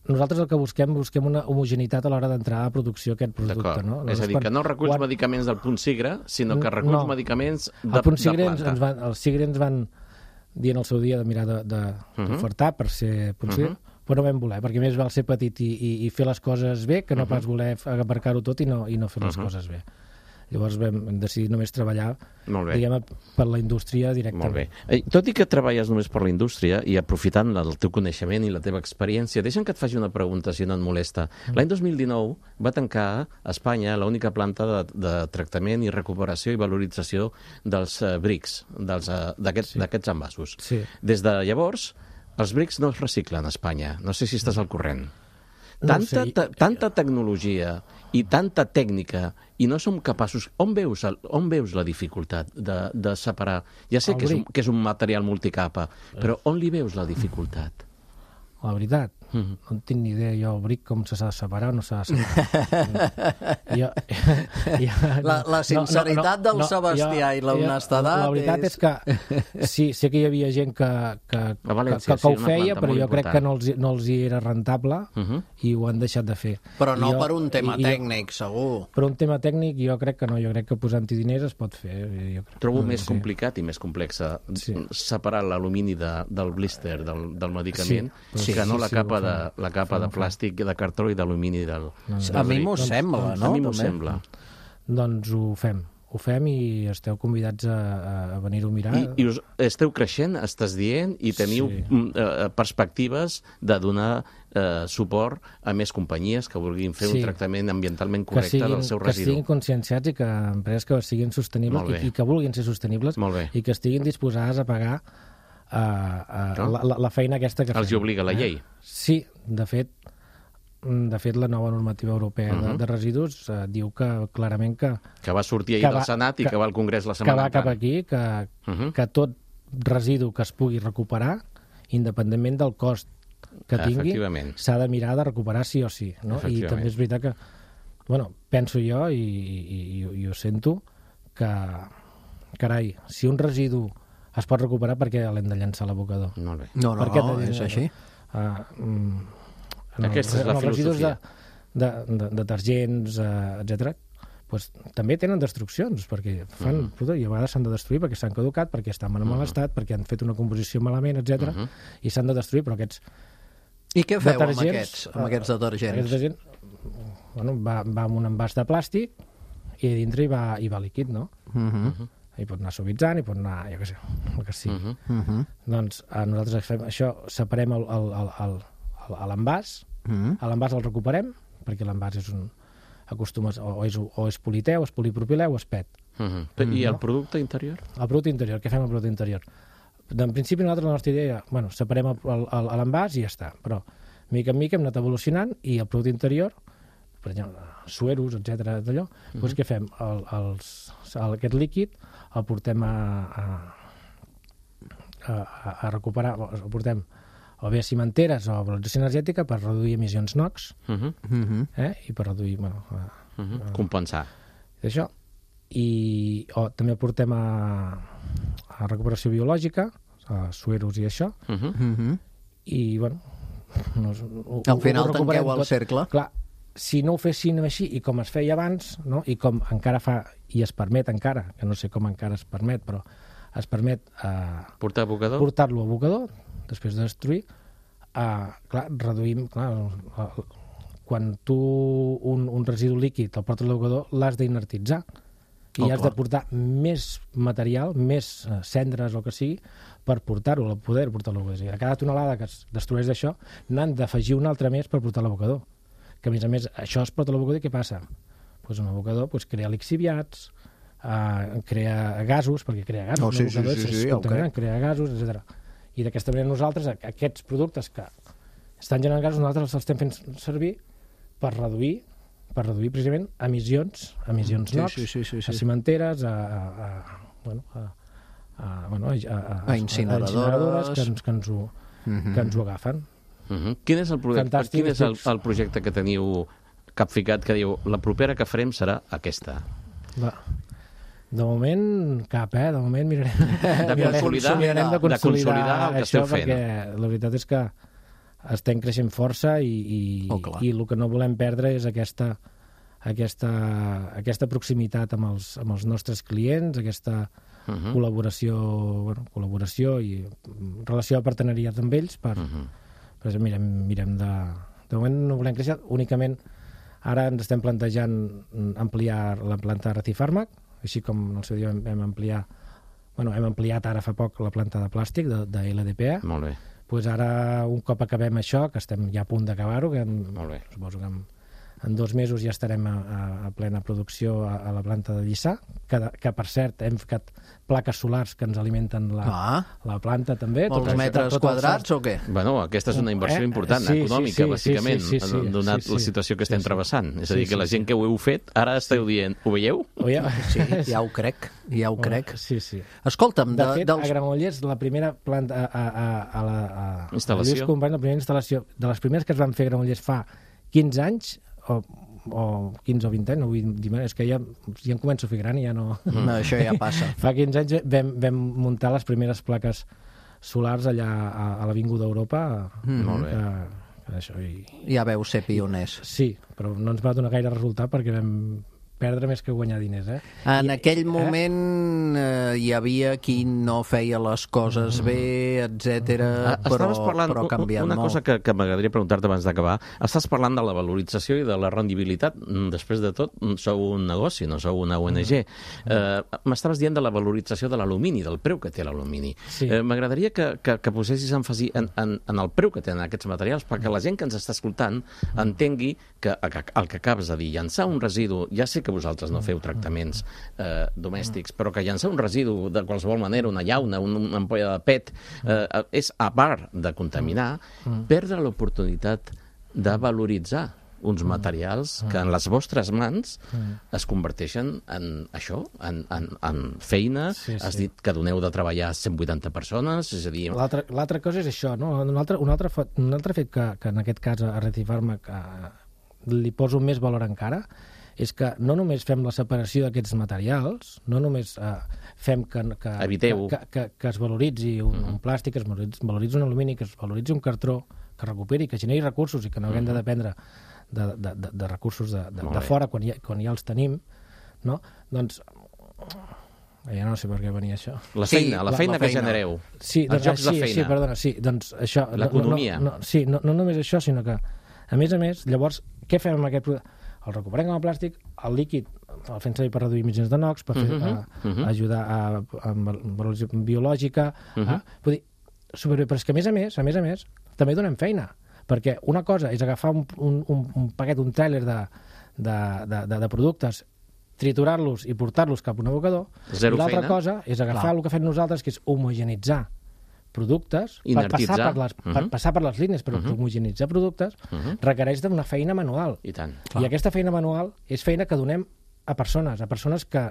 nosaltres el que busquem una homogeneïtat a l'hora d'entrar a producció aquest producte. No? És a dir, que no reculls medicaments del punt Sigre, sinó que reculls medicaments de planta. Els Sigre ens van dir en el seu dia de mirar d'ofertar per ser punt Sigre, però no vam voler, perquè més val ser petit i fer les coses bé que no pas voler aparcar-ho tot i no fer les coses bé. Llavors vam decidir només treballar, diguem, per la indústria directament. Molt bé. Tot i que treballes només per la indústria i aprofitant el teu coneixement i la teva experiència, deixa'm que et faci una pregunta, si no et molesta. L'any 2019 va tancar a Espanya l'única planta de tractament i recuperació i valorització dels brics, d'aquests envasos. Des de llavors, els brics no es reciclen a Espanya. No sé si estàs al corrent. Tanta tecnologia i tanta tècnica i no som capaços... On veus la dificultat de separar? Ja sé que és un material multicapa, però on li veus la dificultat? La veritat, no en tinc ni idea jo el bric com s'ha de separar o no s'ha de separar. La sinceritat del Sebastià i l'honestedat... La veritat és que sí, sé que hi havia gent que ho feia, però jo crec que no els hi era rentable i ho han deixat de fer. Però no per un tema tècnic, segur. Per un tema tècnic jo crec que no, jo crec que posant-hi diners es pot fer. Trobo més complicat i més complex separar l'alumini del blister, del medicament, que no la capa de plàstic, de cartró i d'alumini del... A mi m'ho sembla, no? A mi m'ho sembla. Doncs ho fem i esteu convidats a venir-ho a mirar. I esteu creixent, estàs dient, i teniu perspectives de donar suport a més companyies que vulguin fer un tractament ambientalment correcte del seu residu. Que siguin conscienciats i que empreses que siguin sostenibles i que vulguin ser sostenibles i que estiguin disposades a pagar la feina aquesta que fem. Els hi obliga la llei? Sí, de fet la nova normativa europea de residus diu que clarament que va sortir ahir del Senat i que va al Congrés la setmana que va cap aquí, que tot residu que es pugui recuperar, independentment del cost que tingui, s'ha de mirar de recuperar sí o sí. No? I també és veritat que, penso jo i ho sento, que, carai, si un residu es pot recuperar, perquè l'hem de llançar a l'abocador. Molt bé. No, és així. Aquesta és la filosofia. De detergents, etc., també tenen destruccions, perquè fan, i a vegades s'han de destruir perquè s'han caducat, perquè estan en mal estat, perquè han fet una composició malament, etc., i s'han de destruir, però aquests... I què feu amb aquests detergents? Aquests detergents, va amb un envàs de plàstic i a dintre hi va líquid, no? Hi pot anar suavitzant, hi pot anar, jo què sé, el que sigui. Doncs nosaltres fem això, separem l'envàs, l'envàs el recuperem, perquè l'envàs és o és politer, o és polipropilè, o és PET. I el producte interior? El producte interior, què fem amb el producte interior? En principi nosaltres la nostra idea, separem l'envàs i ja està, però mica en mica hem anat evolucionant i el producte interior, per exemple, sueros, etc., d'allò, doncs què fem? Aquest líquid el portem a recuperar, el portem o bé a cimenteres o a valorització energètica per reduir emissions NOx i per reduir... compensar. Això. O també el portem a recuperació biològica, a sueros i això, i, al final tanqueu el cercle. Clar, si no ho fessin així, i com es feia abans, no? I com encara fa, i es permet encara, que no sé com encara es permet, però es permet portar-lo a abocador, després de destruir. Clar, reduïm... Quan tu un residu líquid el portes a l'abocador, l'has d'inertitzar i has de portar més material, més cendres o el que sigui, per portar-ho, poder portar a l'abocador. A cada tonelada que es destrueix d'això, n'han d'afegir una altra més per portar a l'abocador. Que, a més, això es porta a l'abocador i què passa? Pues un abocador crea lixiviats, crea gasos, perquè crea gasos, crea gasos, etc. I d'aquesta manera nosaltres, aquests productes que estan generant gasos, nosaltres els estem fent servir per reduir precisament emissions NOx a cimenteres, a incineradores que ens ho agafen. Quin és el projecte que teniu capficat que diu la propera que farem serà aquesta? De moment cap, de moment mirarem de consolidar el que esteu fent. Perquè la veritat és que estem creixent força i el que no volem perdre és aquesta proximitat amb els nostres clients, aquesta col·laboració i relació de partenariat amb ells per mirem de moment no volem créixer, únicament ara ens estem plantejant ampliar la planta de Recifàrmac, així com en el seu dia hem ampliat ara fa poc la planta de plàstic de LDPE. Molt bé. Pues ara, un cop acabem això, que estem ja a punt d'acabar-ho, que suposo que en 2 mesos ja estarem a plena producció a la planta de Lliçà, que per cert hem ficat plaques solars que ens alimenten la planta també. Molts metres quadrats o què? Bueno, aquesta és una inversió important, econòmica, bàsicament, donat la situació que estem travessant. És a dir, que la gent que ho heu fet, ara esteu dient, ho veieu? Sí, ja ho crec. Sí. Escolta'm, de fet, a Granollers, la primera planta instal·lació, la primera instal·lació, de les primeres que es van fer a Granollers fa 15 anys, o 15 o 20 anys, no vull dir, és que ja em començo a fer gran i ja no... No, això ja passa. Fa 15 anys vam muntar les primeres plaques solars allà a l'Avinguda Europa. Molt bé. Ja veu ser pioners. Sí, però no ens va donar gaire resultat perquè vam perdre més que guanyar diners, En aquell moment hi havia qui no feia les coses bé, etc. però ha canviat molt. Una cosa que m'agradaria preguntar-te abans d'acabar, estàs parlant de la valorització i de la rendibilitat. Després de tot, sou un negoci, no sou una ONG. M'estaves dient de la valorització de l'alumini, del preu que té l'alumini. Sí. M'agradaria que posessis èmfasi en el preu que tenen aquests materials, perquè la gent que ens està escoltant entengui que el que acabes de dir, llançar un residu, ja sé que vosaltres no feu tractaments domèstics, però que llançar un residu de qualsevol manera, una llauna, una ampolla de PET, és, a part de contaminar, perdre l'oportunitat de valoritzar uns materials que en les vostres mans es converteixen en això, en feina. Has dit que doneu de treballar a 180 persones, és a dir... L'altra cosa és això, no? Un altre fet que en aquest cas a Recifàrmac li poso més valor encara és que no només fem la separació d'aquests materials, no només fem que es valoritzi un plàstic, que es valoritzi un alumini, que es valoritzi un cartró, que recuperi, que generi recursos i que no haguem de dependre de recursos de fora quan ja els tenim, no? Doncs ja no sé per què venia això. La feina que genereu. Sí, els jocs de feina. Sí, perdona, sí, doncs això... L'economia. Sí, no només això, sinó que, a més, llavors, què fem amb aquest producte? El recuperem com a plàstic, el líquid el fem servir per reduir emissions de NOx, per ajudar amb valorització biològica. Vull dir, superbé, però és que, a més a més, també donem feina, perquè una cosa és agafar un paquet, un tràiler de productes, triturar-los i portar-los cap a un abocador, i l'altra cosa és agafar el que fem nosaltres, que és homogeneitzar productes, per passar per les línies, però homogenitzar productes requereix d'una feina manual. I tant. I aquesta feina manual és feina que donem a persones que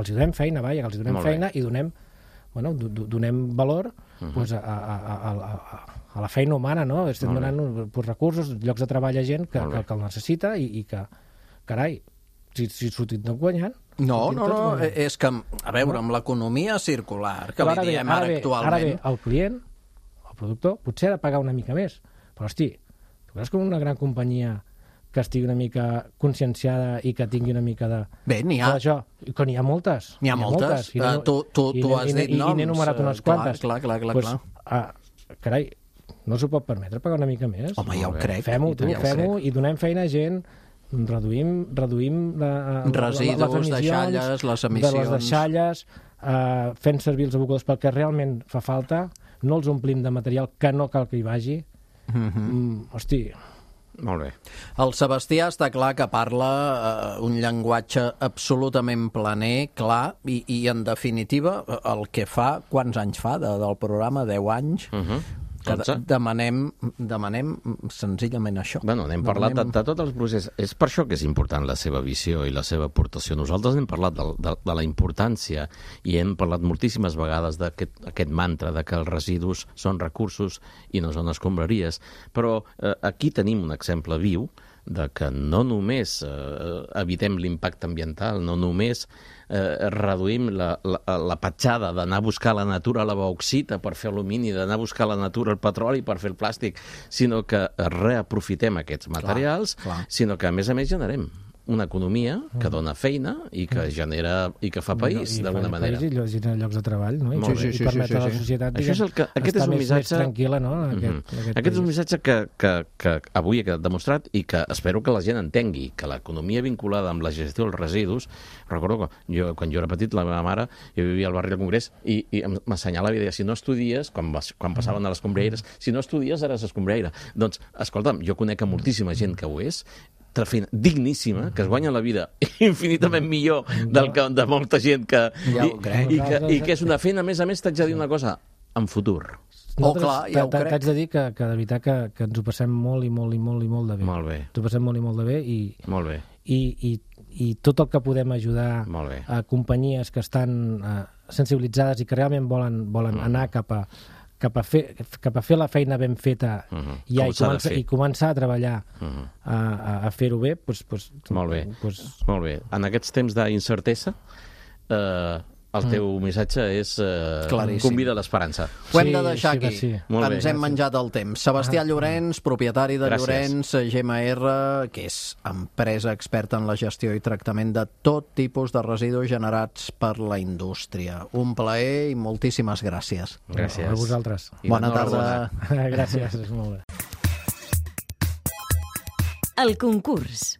els donem feina, que els donem feina i donem valor a la feina humana, no? Estem donant recursos, llocs de treball a gent que el necessita i que, carai, si sortit no guanyant... No, és que, a veure, amb l'economia circular, que li diem ara actualment... Ara bé, el client, el productor, potser ha de pagar una mica més, però, hosti, tu creus que una gran companyia que estigui una mica conscienciada i que tingui una mica de... Bé, n'hi ha. Això, que n'hi ha moltes. N'hi ha moltes. Tu has dit noms. I n'he enumerat unes quantes. Clar. Carai, no s'ho pot permetre pagar una mica més? Home, ja ho crec. Fem-ho i donem feina a gent, reduïm residus, deixalles, les emissions... de les deixalles, fent servir els abocadors pel que realment fa falta, no els omplim de material que no cal que hi vagi. Hosti... Molt bé. El Sebastià està clar que parla un llenguatge absolutament planer, clar, i en definitiva el que fa, quants anys fa del programa? 10 anys? Que demanem senzillament això. Bueno, n'hem parlat de tot el procés. És per això que és important la seva visió i la seva aportació. Nosaltres n'hem parlat de la importància i hem parlat moltíssimes vegades d'aquest mantra de que els residus són recursos i no són escombraries. Però aquí tenim un exemple viu de que no només evitem l'impacte ambiental, no només reduïm la petjada d'anar a buscar la natura la bauxita per fer alumini, d'anar a buscar la natura el petroli per fer el plàstic, sinó que reaprofitem aquests materials, sinó que a més generem una economia que dona feina i que genera i que fa país d'alguna manera. I genera llocs de treball, no? I permet a la societat estar més tranquil·la, no? Aquest és un missatge que avui he demostrat i que espero que la gent entengui, que l'economia vinculada amb la gestió dels residus... Recordo que quan jo era petit, la meva mare, jo vivia al barri del Congrés i m'assenyalava i deia, si no estudies, quan passaven a les escombraires, si no estudies eres escombraire. Doncs, escolta'm, jo conec moltíssima gent que ho és, feina digníssima, que es guanya la vida infinitament millor de molta gent que... I que és una feina, a més, t'haig de dir una cosa, en futur. T'haig de dir que de veritat que ens ho passem molt i molt de bé. Molt bé. Ens ho passem molt i molt de bé Molt bé. I tot el que podem ajudar a companyies que estan sensibilitzades i que realment volen anar cap a fer la feina ben feta i començar a treballar a fer-ho bé, doncs... Molt bé. Molt bé. En aquests temps d'incertesa, el teu missatge és convida a l'esperança. Ho hem de deixar aquí. Ens hem menjat el temps. Sebastià Llorenç, propietari de Llorenç GMR, que és empresa experta en la gestió i tractament de tot tipus de residus generats per la indústria. Un plaer i moltíssimes gràcies. Gràcies. A vosaltres. Bona tarda. Gràcies, és molt bé. El concurs.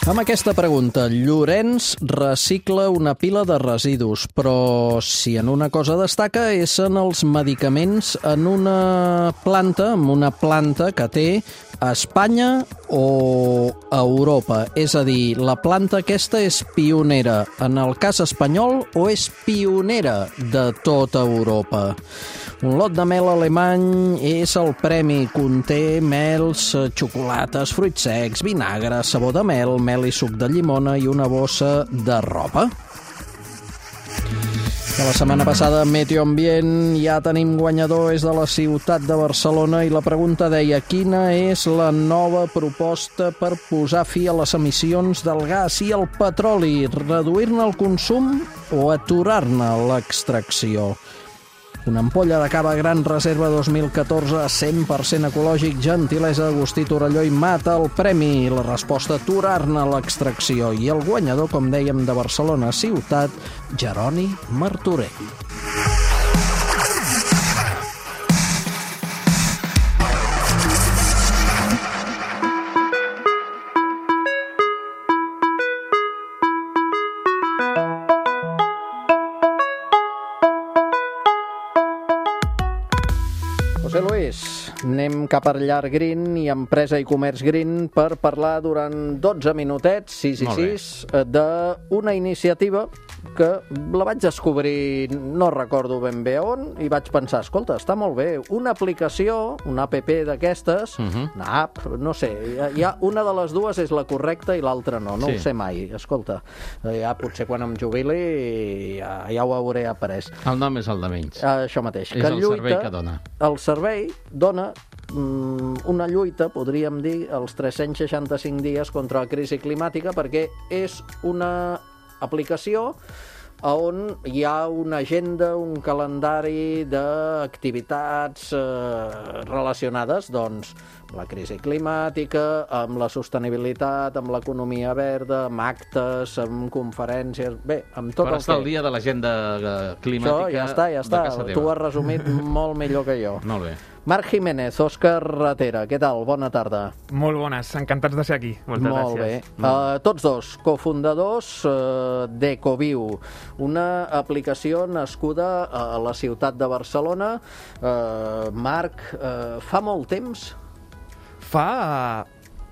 Amb aquesta pregunta, Llorenç recicla una pila de residus, però si en una cosa destaca és en els medicaments en una planta que té a Espanya o a Europa. És a dir, la planta aquesta és pionera en el cas espanyol o és pionera de tota Europa? Un lot de mel alemany és el premi. Conté mels, xocolates, fruits secs, vinagre, sabó de mel i suc de llimona i una bossa de roba. De la setmana passada, Meteo Ambient, ja tenim guanyador, és de la ciutat de Barcelona, i la pregunta deia: quina és la nova proposta per posar fi a les emissions del gas i el petroli? Reduir-ne el consum o aturar-ne l'extracció? Una ampolla de cava Gran Reserva 2014, 100% ecològic, gentilesa d'Agustí Torelló i Mata el premi. La resposta: aturar-ne l'extracció. I el guanyador, com dèiem, de Barcelona ciutat, Jeroni Martorell. José Luis, anem cap a Llar Green i Empresa i Comerç Green per parlar durant 12 minutets, 6 d'una iniciativa que la vaig descobrir, no recordo ben bé on, i vaig pensar, escolta, està molt bé, una aplicació, una app d'aquestes, una app, no sé, ja una de les dues és la correcta i l'altra no ho sé mai, escolta, ja potser quan em jubili ja ho hauré après. El nom és el de menys. Això mateix. És el servei que dona. El servei dona una lluita, podríem dir, els 365 dies contra la crisi climàtica, perquè és una aplicació on hi ha una agenda, un calendari d'activitats relacionades doncs, amb la crisi climàtica, amb la sostenibilitat, amb l'economia verda, amb actes, amb conferències... Bé, amb tot per el estar que... al dia de l'agenda climàtica ja està. de casa teva. Tu has resumit molt millor que jo. Molt bé. Marc Jiménez, Òscar Ratera, què tal? Bona tarda. Molt bones, encantats de ser aquí. Moltes Molt gràcies. bé. Tots dos, cofundadors d'Ecoviu, una aplicació nascuda a la ciutat de Barcelona. Marc, fa molt temps?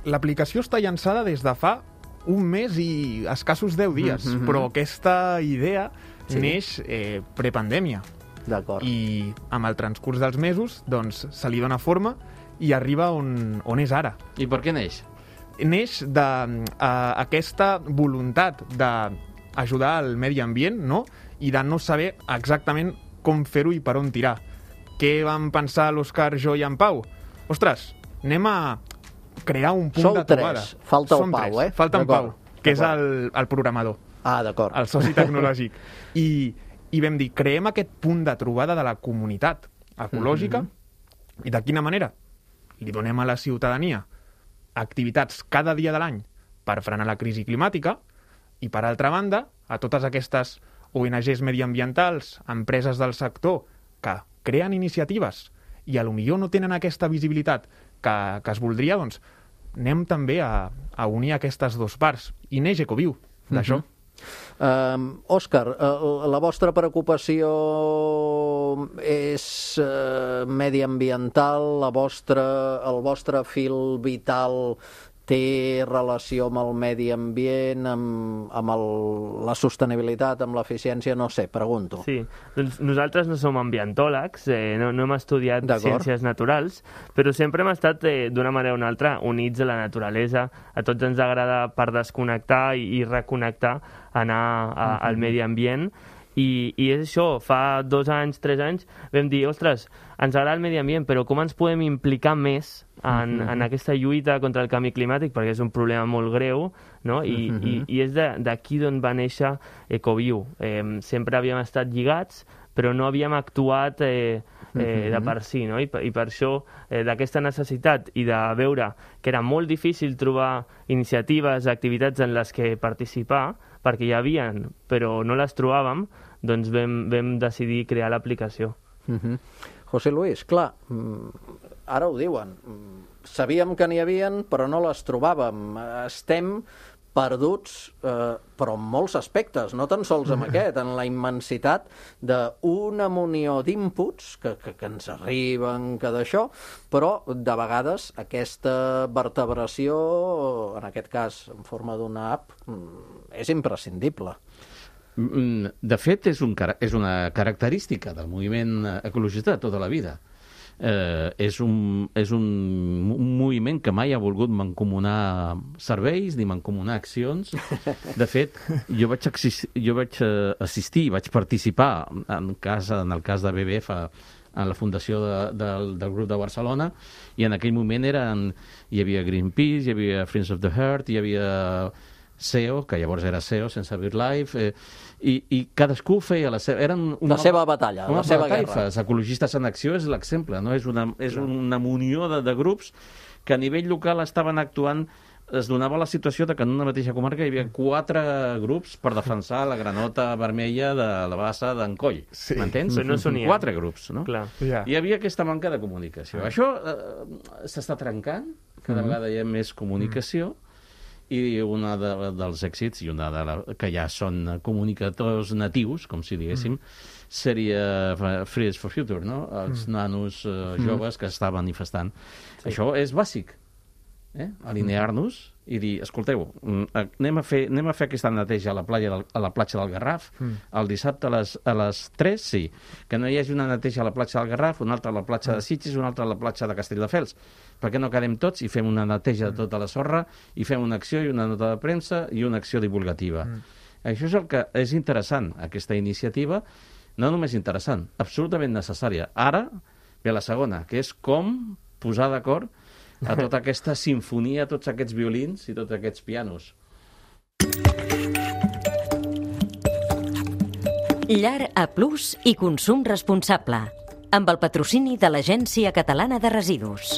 L'aplicació està llançada des de fa un mes i escassos 10 dies, però aquesta idea neix prepandèmia. D'acord. I amb el transcurs dels mesos doncs, se li dona forma i arriba on és ara. I per què neix? Neix d'aquesta voluntat d'ajudar el medi ambient, no? I de no saber exactament com fer-ho i per on tirar. Què vam pensar l'Òscar, jo i en Pau? Ostres, anem a crear un punt de trobada. Sou tres, falta el Som Pau, tres. Falta en Pau, que és el programador. D'acord. El soci tecnològic. I vam dir, creem aquest punt de trobada de la comunitat ecològica i de quina manera? Li donem a la ciutadania activitats cada dia de l'any per frenar la crisi climàtica i, per altra banda, a totes aquestes ONGs mediambientals, empreses del sector que creen iniciatives i a lo millor no tenen aquesta visibilitat que es voldria, doncs anem també a unir aquestes dues parts. I neix Ecoviu, d'això. Òscar, la vostra preocupació és mediambiental, el vostre fil vital té relació amb el medi ambient, amb la sostenibilitat, amb l'eficiència, no sé, pregunto. Sí, doncs nosaltres no som ambientòlegs, no hem estudiat ciències naturals, però sempre hem estat, d'una manera o una altra, units a la naturalesa. A tots ens agrada per desconnectar i reconnectar, anar al medi ambient. I és això, fa 2 anys, 3 anys, vam dir, ostres, ens agrada el medi ambient, però com ens podem implicar més en aquesta lluita contra el canvi climàtic, perquè és un problema molt greu, no? I és d'aquí d'on va néixer Ecoviu. Sempre havíem estat lligats, però no havíem actuat de per si, no? I per això, d'aquesta necessitat i de veure que era molt difícil trobar iniciatives, activitats en les que participar, perquè hi havien, però no les trobàvem, doncs vam decidir crear l'aplicació. José Luis, clar, ara ho diuen, sabíem que n'hi havien, però no les trobàvem. Estem perduts, però en molts aspectes, no tan sols en aquest, en la immensitat d'una munió d'inputs que ens arriben, que d'això, però de vegades aquesta vertebració, en aquest cas en forma d'una app, és imprescindible. De fet, és una característica del moviment ecologista de tota la vida. És un moviment que mai ha volgut mancomunar serveis ni mancomunar accions. De fet, jo vaig assistir, vaig participar en el cas de BBF en la fundació del grup de Barcelona, i en aquell moment hi havia Greenpeace, hi havia Friends of the Earth, hi havia SEO, que llavors era SEO, sense BirdLife, i cadascú feia la seva batalla, la seva guerra. Ecologistes en Acció és l'exemple, no? És una munió de grups que a nivell local estaven actuant. Es donava la situació que en una mateixa comarca hi havia 4 grups per defensar la granota vermella de la bassa d'en Coll. Sí. M'entens? Però no s'unien. 4 grups, no? Clar. Hi havia aquesta manca de comunicació. Això s'està trencant, cada vegada hi ha més comunicació, i un dels èxits, i que ja són comunicadors natius, com si diguéssim, seria Fridays for Future, no? Els nanos joves que estan manifestant. Sí. Això és bàsic, alinear-nos i dir, escolteu, anem a fer aquesta neteja a la platja del Garraf, el dissabte a les 3, sí, que no hi hagi una neteja a la platja del Garraf, una altra a la platja de Sitges, una altra a la platja de Castelldefels. Per què no quedem tots i fem una neteja de tota la sorra i fem una acció i una nota de premsa i una acció divulgativa? Això és el que és interessant, aquesta iniciativa, no només interessant, absolutament necessària. Ara ve la segona, que és com posar d'acord a tota aquesta sinfonia, tots aquests violins i tots aquests pianos. Llar A Plus i consum responsable, amb el patrocini de l'Agència Catalana de Residus.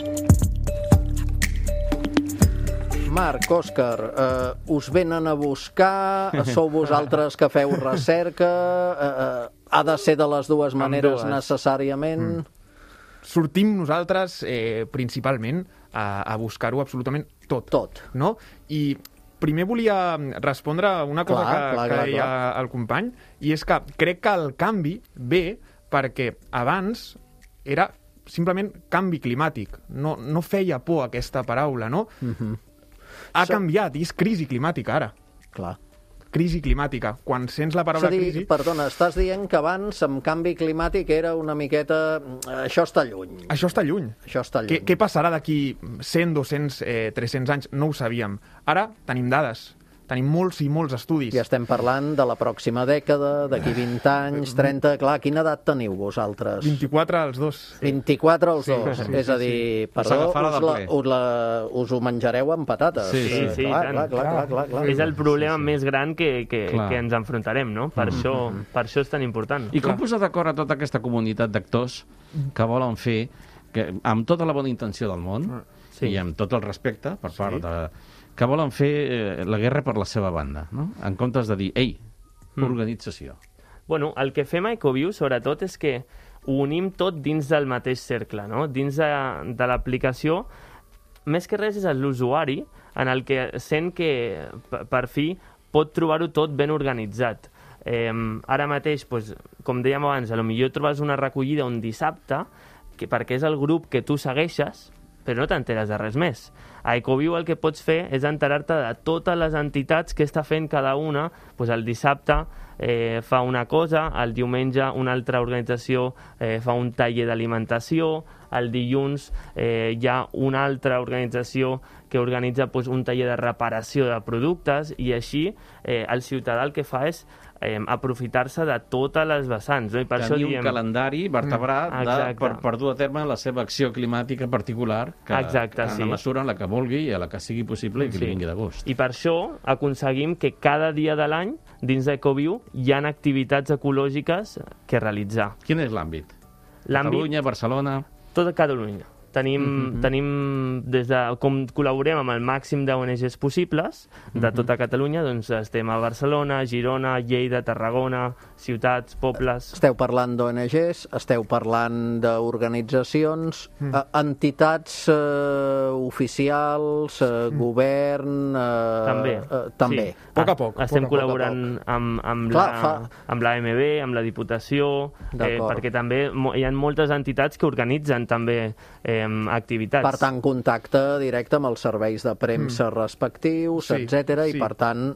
Marc, Òscar, us venen a buscar, sou vosaltres que feu recerca, ha de ser de les dues maneres necessàriament? Sortim nosaltres principalment a buscar-ho absolutament tot. No? I primer volia respondre a una cosa que deia el company, i és que crec que el canvi ve perquè abans era simplement canvi climàtic. No feia por aquesta paraula, no? Ha canviat, i és crisi climàtica ara. Clar. Crisi climàtica. Quan sents la paraula crisi... Perdona, estàs dient que abans amb canvi climàtic era una miqueta... Això està lluny. Això està lluny. Què passarà d'aquí 100, 200, 300 anys? No ho sabíem. Ara tenim dades. Tenim molts i molts estudis. I estem parlant de la pròxima dècada, d'aquí 20 anys, 30... Clar, quina edat teniu vosaltres? 24 els dos. 24 els dos. És a dir, perdó, us ho menjareu amb patates. Sí, clar. És el problema més gran que ens enfrontarem, no? Per això és tan important. I com posar d'acord a tota aquesta comunitat d'actors que volen fer, amb tota la bona intenció del món, i amb tot el respecte per part de... que volen fer la guerra per la seva banda, no? En comptes de dir, ei, organització. Bueno, el que fem a Ecoviu, sobretot, és que ho unim tot dins del mateix cercle, no? Dins de l'aplicació, més que res és l'usuari en el que sent que, per fi, pot trobar-ho tot ben organitzat. Ara mateix, com dèiem abans, potser trobes una recollida un dissabte, perquè és el grup que tu segueixes, però no t'enteres de res més. A Ecoviu el que pots fer és enterar-te de totes les entitats que està fent cada una. El dissabte fa una cosa, el diumenge una altra organització fa un taller d'alimentació, el dilluns hi ha una altra organització que organitza un taller de reparació de productes, i així el ciutadà el que fa és aprofitar-se de totes les vessants. No? I per tenir un calendari vertebrat per dur a terme la seva acció climàtica particular, en la mesura en la que vulgui i a la que sigui possible i que li vingui de gust. I per això aconseguim que cada dia de l'any, dins d'Ecoviu, hi ha activitats ecològiques que realitzar. Quin és l'àmbit? Catalunya, Barcelona... Tot a Catalunya. Tenim com col·laborem amb el màxim d'ONGs possibles de tota Catalunya, doncs estem a Barcelona, Girona, Lleida, Tarragona, ciutats, pobles... Esteu parlant d'ONGs, esteu parlant d'organitzacions, entitats oficials, govern... També. Poc a poc. Estem col·laborant amb l'AMB, amb la Diputació, perquè també hi ha moltes entitats que organitzen també activitats. Per tant, contacte directe amb els serveis de premsa respectius, etc. I, per tant,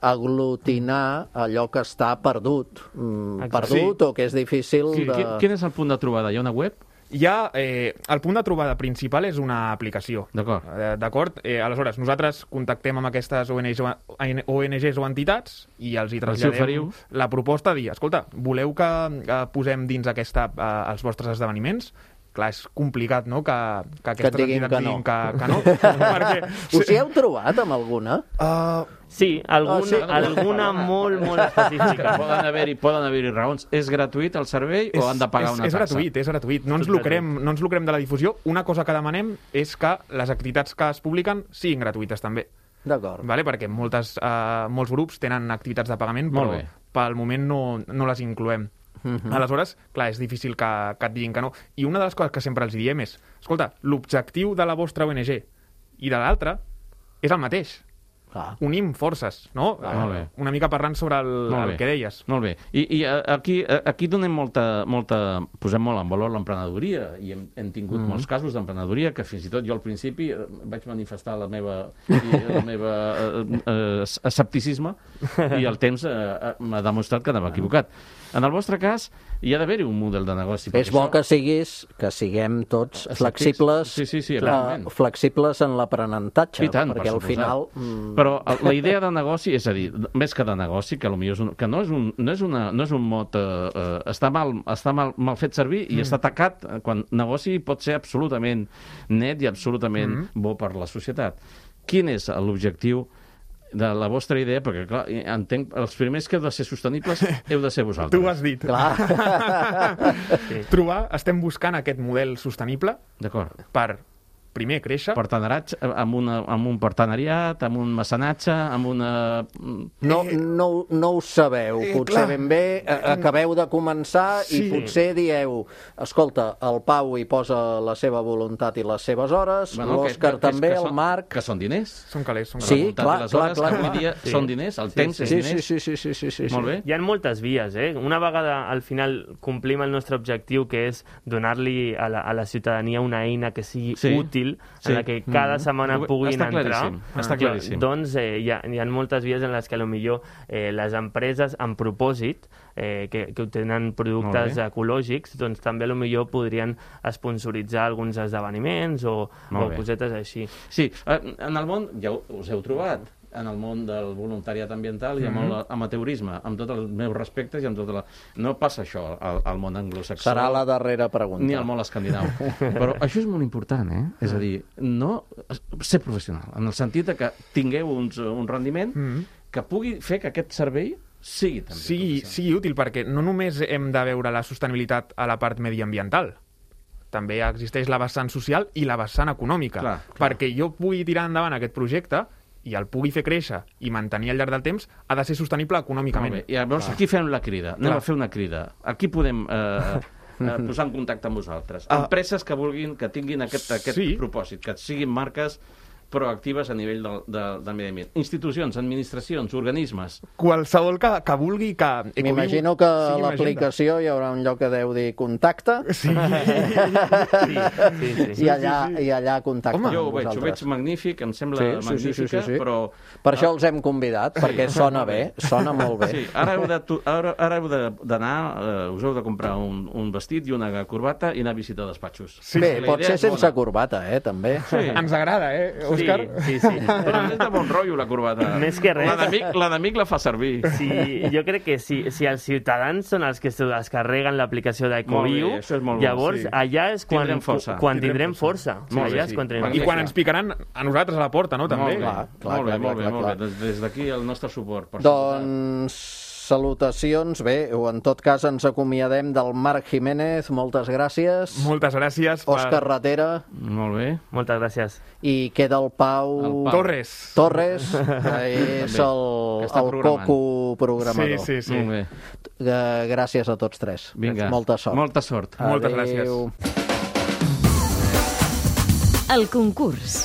aglutinar allò que està perdut. O que és difícil de... Quin és el punt de trobada? Hi ha una web? El punt de trobada principal és una aplicació. D'acord. Aleshores, nosaltres contactem amb aquestes ONGs o entitats i els hi traslladem la proposta de dir, escolta, voleu que posem dins aquesta els vostres esdeveniments? Clar, és complicat, no?, que aquestes entitats diguin que no. Us hi heu trobat amb alguna? Sí, alguna molt específica. Poden haver-hi raons. És gratuït el servei o han de pagar una taxa? És gratuït. No ens lucrem de la difusió. Una cosa que demanem és que les activitats que es publiquen siguin gratuïtes també. D'acord. Perquè molts grups tenen activitats de pagament, però pel moment no les incloem. Aleshores, clar, és difícil que et diguin que no. I una de les coses que sempre els diem és, escolta, l'objectiu de la vostra ONG i de l'altra és el mateix. Unim forces, no? Una mica parlant sobre el que deies. Molt bé. I aquí donem posem molt en valor l'emprenedoria, i hem tingut molts casos d'emprenedoria que fins i tot jo al principi vaig manifestar la meva escepticisme, i el temps m'ha demostrat que anava equivocat. En el vostre cas, hi ha d'haver-hi un model de negoci. És bo que siguem tots flexibles, flexibles en l'aprenentatge, perquè al final... Però la idea de negoci, és a dir, més que de negoci, que no és un mot... Està mal fet servir i està tacat, quan negoci pot ser absolutament net i absolutament bo per la societat. Quin és l'objectiu de la vostra idea, perquè, clar, entenc, els primers que heu de ser sostenibles heu de ser vosaltres. Tu ho has dit. Estem buscant aquest model sostenible per, primer, créixer. Amb un partenariat, amb un mecenatge, amb una... No ho sabeu. Potser ben bé acabeu de començar i potser dieu, escolta, el Pau hi posa la seva voluntat i les seves hores, l'Òscar també, el Marc... Que són diners. Són calés. Sí, clar. Avui dia són diners, el temps és diners. Sí. Molt bé. Hi ha moltes vies, eh? Una vegada al final complim el nostre objectiu, que és donar-li a la ciutadania una eina que sigui útil, en la que cada setmana puguin entrar. Està claríssim. Doncs hi ha moltes vies en les que potser les empreses amb propòsit que obtenen productes ecològics, doncs també potser podrien sponsoritzar alguns esdeveniments o cosetes així. Sí, en el món ja us heu trobat, en el món del voluntariat ambiental i amb l'amateurisme, amb tots els meus respectes i amb tota la... No passa això al món anglosaxó. Serà la darrera pregunta. Ni al món escandinau. Però això és molt important, eh? És a dir, no ser professional, en el sentit que tingueu un rendiment que pugui fer que aquest servei sigui també sigui útil, perquè no només hem de veure la sostenibilitat a la part mediambiental, també existeix la vessant social i la vessant econòmica. Clar. Perquè jo pugui tirar endavant aquest projecte i el pugui fer créixer i mantenir al llarg del temps, ha de ser sostenible econòmicament. I llavors aquí fem la crida. Anem a fer una crida. Aquí podem posar en contacte amb vosaltres. Empreses que vulguin, que tinguin aquest propòsit, que siguin marques proactives a nivell del medi ambient. Institucions, administracions, organismes. Qualsevol que vulgui que... M'imagino que a l'aplicació hi haurà un lloc que deu dir contacte. Sí. I allà contacte amb vosaltres. Ho veig magnífic, em sembla magnífica, però... Per això els hem convidat, perquè sona bé, sona molt bé. Sí, ara heu d'anar, us heu de comprar un vestit i una corbata i anar a visitar despatxos. Bé, pot ser sense corbata, també. Ens agrada, Òscar? Sí. Però és de bon rotllo, la corbata. Més que res. L'enemic la fa servir. Sí, jo crec que si els ciutadans són els que es carreguen l'aplicació d'Ecoviu, llavors allà és quan tindrem força. I quan ens picaran a nosaltres a la porta, no? També. Molt bé. Des d'aquí el nostre suport. Doncs... salutacions. Bé, o en tot cas ens acomiadem del Marc Jiménez. Moltes gràcies. Moltes gràcies. Òscar Ratera. Molt bé. Moltes gràcies. I queda el Pau... Torres, que és el coco programador. Sí. Molt bé. Gràcies a tots tres. Vinga. Molta sort. Molta sort. Moltes gràcies. El concurs.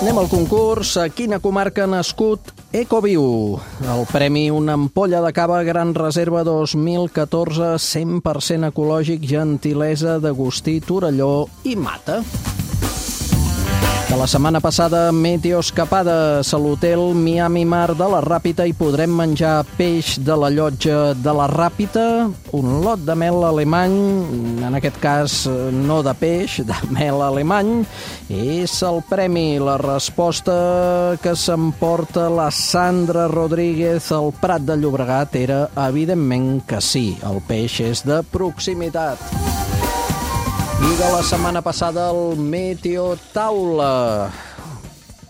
Anem al concurs. A quina comarca ha nascut Ecoviu? El premi Una ampolla de cava Gran Reserva 2014, 100% ecològic, gentilesa d'Agustí Torelló i Mata. De la setmana passada, Meteo Escapades a l'hotel Miami Mar de la Ràpita i podrem menjar peix de la llotja de la Ràpita, un lot de mel alemany, en aquest cas no de peix, de mel alemany. És el premi, la resposta que s'emporta la Sandra Rodríguez al Prat de Llobregat era evidentment que sí, el peix és de proximitat. I de la setmana passada el Meteo Taula.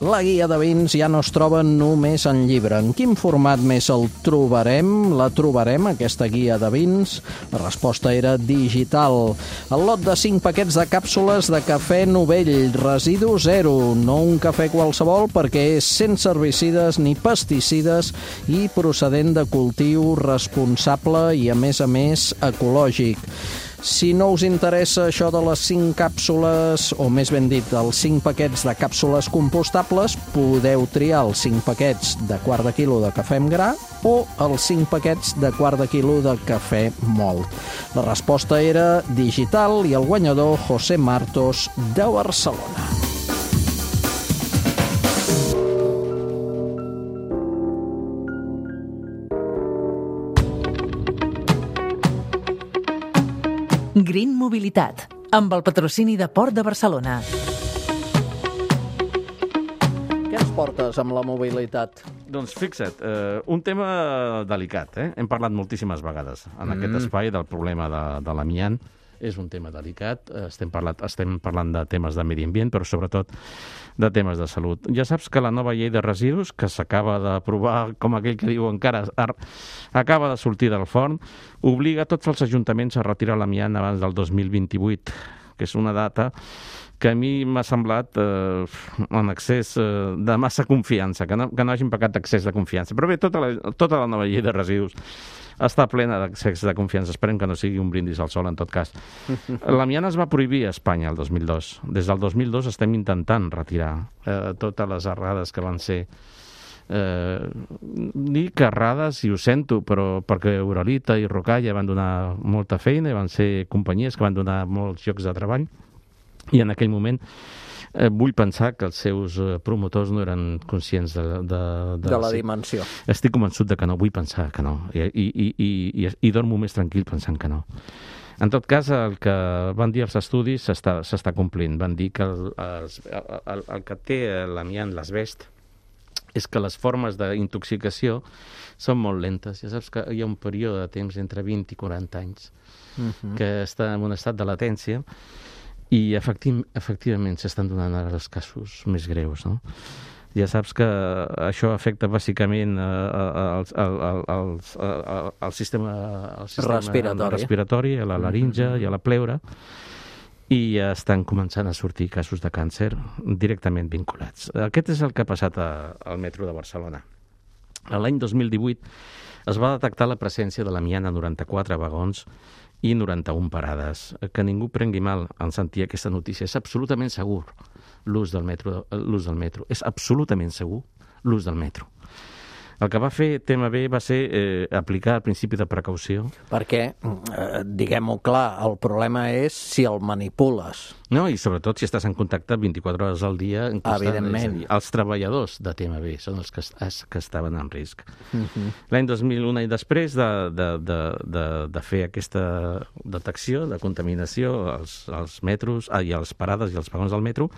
La guia de vins ja no es troba només en llibre. En quin format més el trobarem? La trobarem, aquesta guia de vins? La resposta era digital. El lot de 5 paquets de càpsules de cafè Novell, residu zero. No un cafè qualsevol perquè és sense herbicides ni pesticides i procedent de cultiu responsable i, a més, ecològic. Si no us interessa això de les 5 càpsules, o més ben dit, els 5 paquets de càpsules compostables, podeu triar els 5 paquets de quart de quilo de cafè amb gra o els 5 paquets de quart de quilo de cafè mòlt. La resposta era digital i el guanyador, José Martos, de Barcelona. Green Mobilitat, amb el patrocini de Port de Barcelona. Què ens portes amb la mobilitat? Doncs fixa't, un tema delicat, Hem parlat moltíssimes vegades en aquest espai del problema de l'amiant és un tema delicat, estem parlant de temes de medi ambient, però sobretot de temes de salut. Ja saps que la nova llei de residus, que s'acaba d'aprovar, com aquell que diu encara, acaba de sortir del forn, obliga tots els ajuntaments a retirar l'amiant abans del 2028, que és una data que a mi m'ha semblat en excés de massa confiança, que no hagin pecat d'excés de confiança. Però bé, tota la nova llei de residus està plena d'excés de confiança. Esperem que no sigui un brindis al sol, en tot cas. L'amiant es va prohibir a Espanya el 2002. Des del 2002 estem intentant retirar totes les errades que van ser dic errades, i ho sento, però perquè Uralita i Rocalla van donar molta feina i van ser companyies que van donar molts llocs de treball, i en aquell moment vull pensar que els seus promotors no eren conscients de la dimensió. Estic convençut de que no, vull pensar que no, i dormo més tranquil pensant que no. En tot cas, el que van dir els estudis s'està complint. Van dir que el que té l'amiant, l'asbest, és que les formes d'intoxicació són molt lentes. Ja saps que hi ha un període de temps entre 20 i 40 anys que està en un estat de latència, i efectivament s'estan donant ara els casos més greus, no? Ja saps que això afecta bàsicament el sistema respiratori, a la laringe i a la pleura, i ja estan començant a sortir casos de càncer directament vinculats. Aquest és el que ha passat al metro de Barcelona. L'any 2018 es va detectar la presència de l'amiant a 94 vagons i 91 parades. Que ningú prengui mal en sentir aquesta notícia. És absolutament segur l'ús del metro. És absolutament segur l'ús del metro. El que va fer TMB va ser aplicar el principi de precaució. Perquè, diguem-ho clar, el problema és si el manipules. No, i sobretot si estàs en contacte 24 hores al dia. Evidentment. Els treballadors de TMB són els que estaven en risc. L'any 2001 i després de fer aquesta detecció de contaminació als metros, i a les parades i als vagons del metro,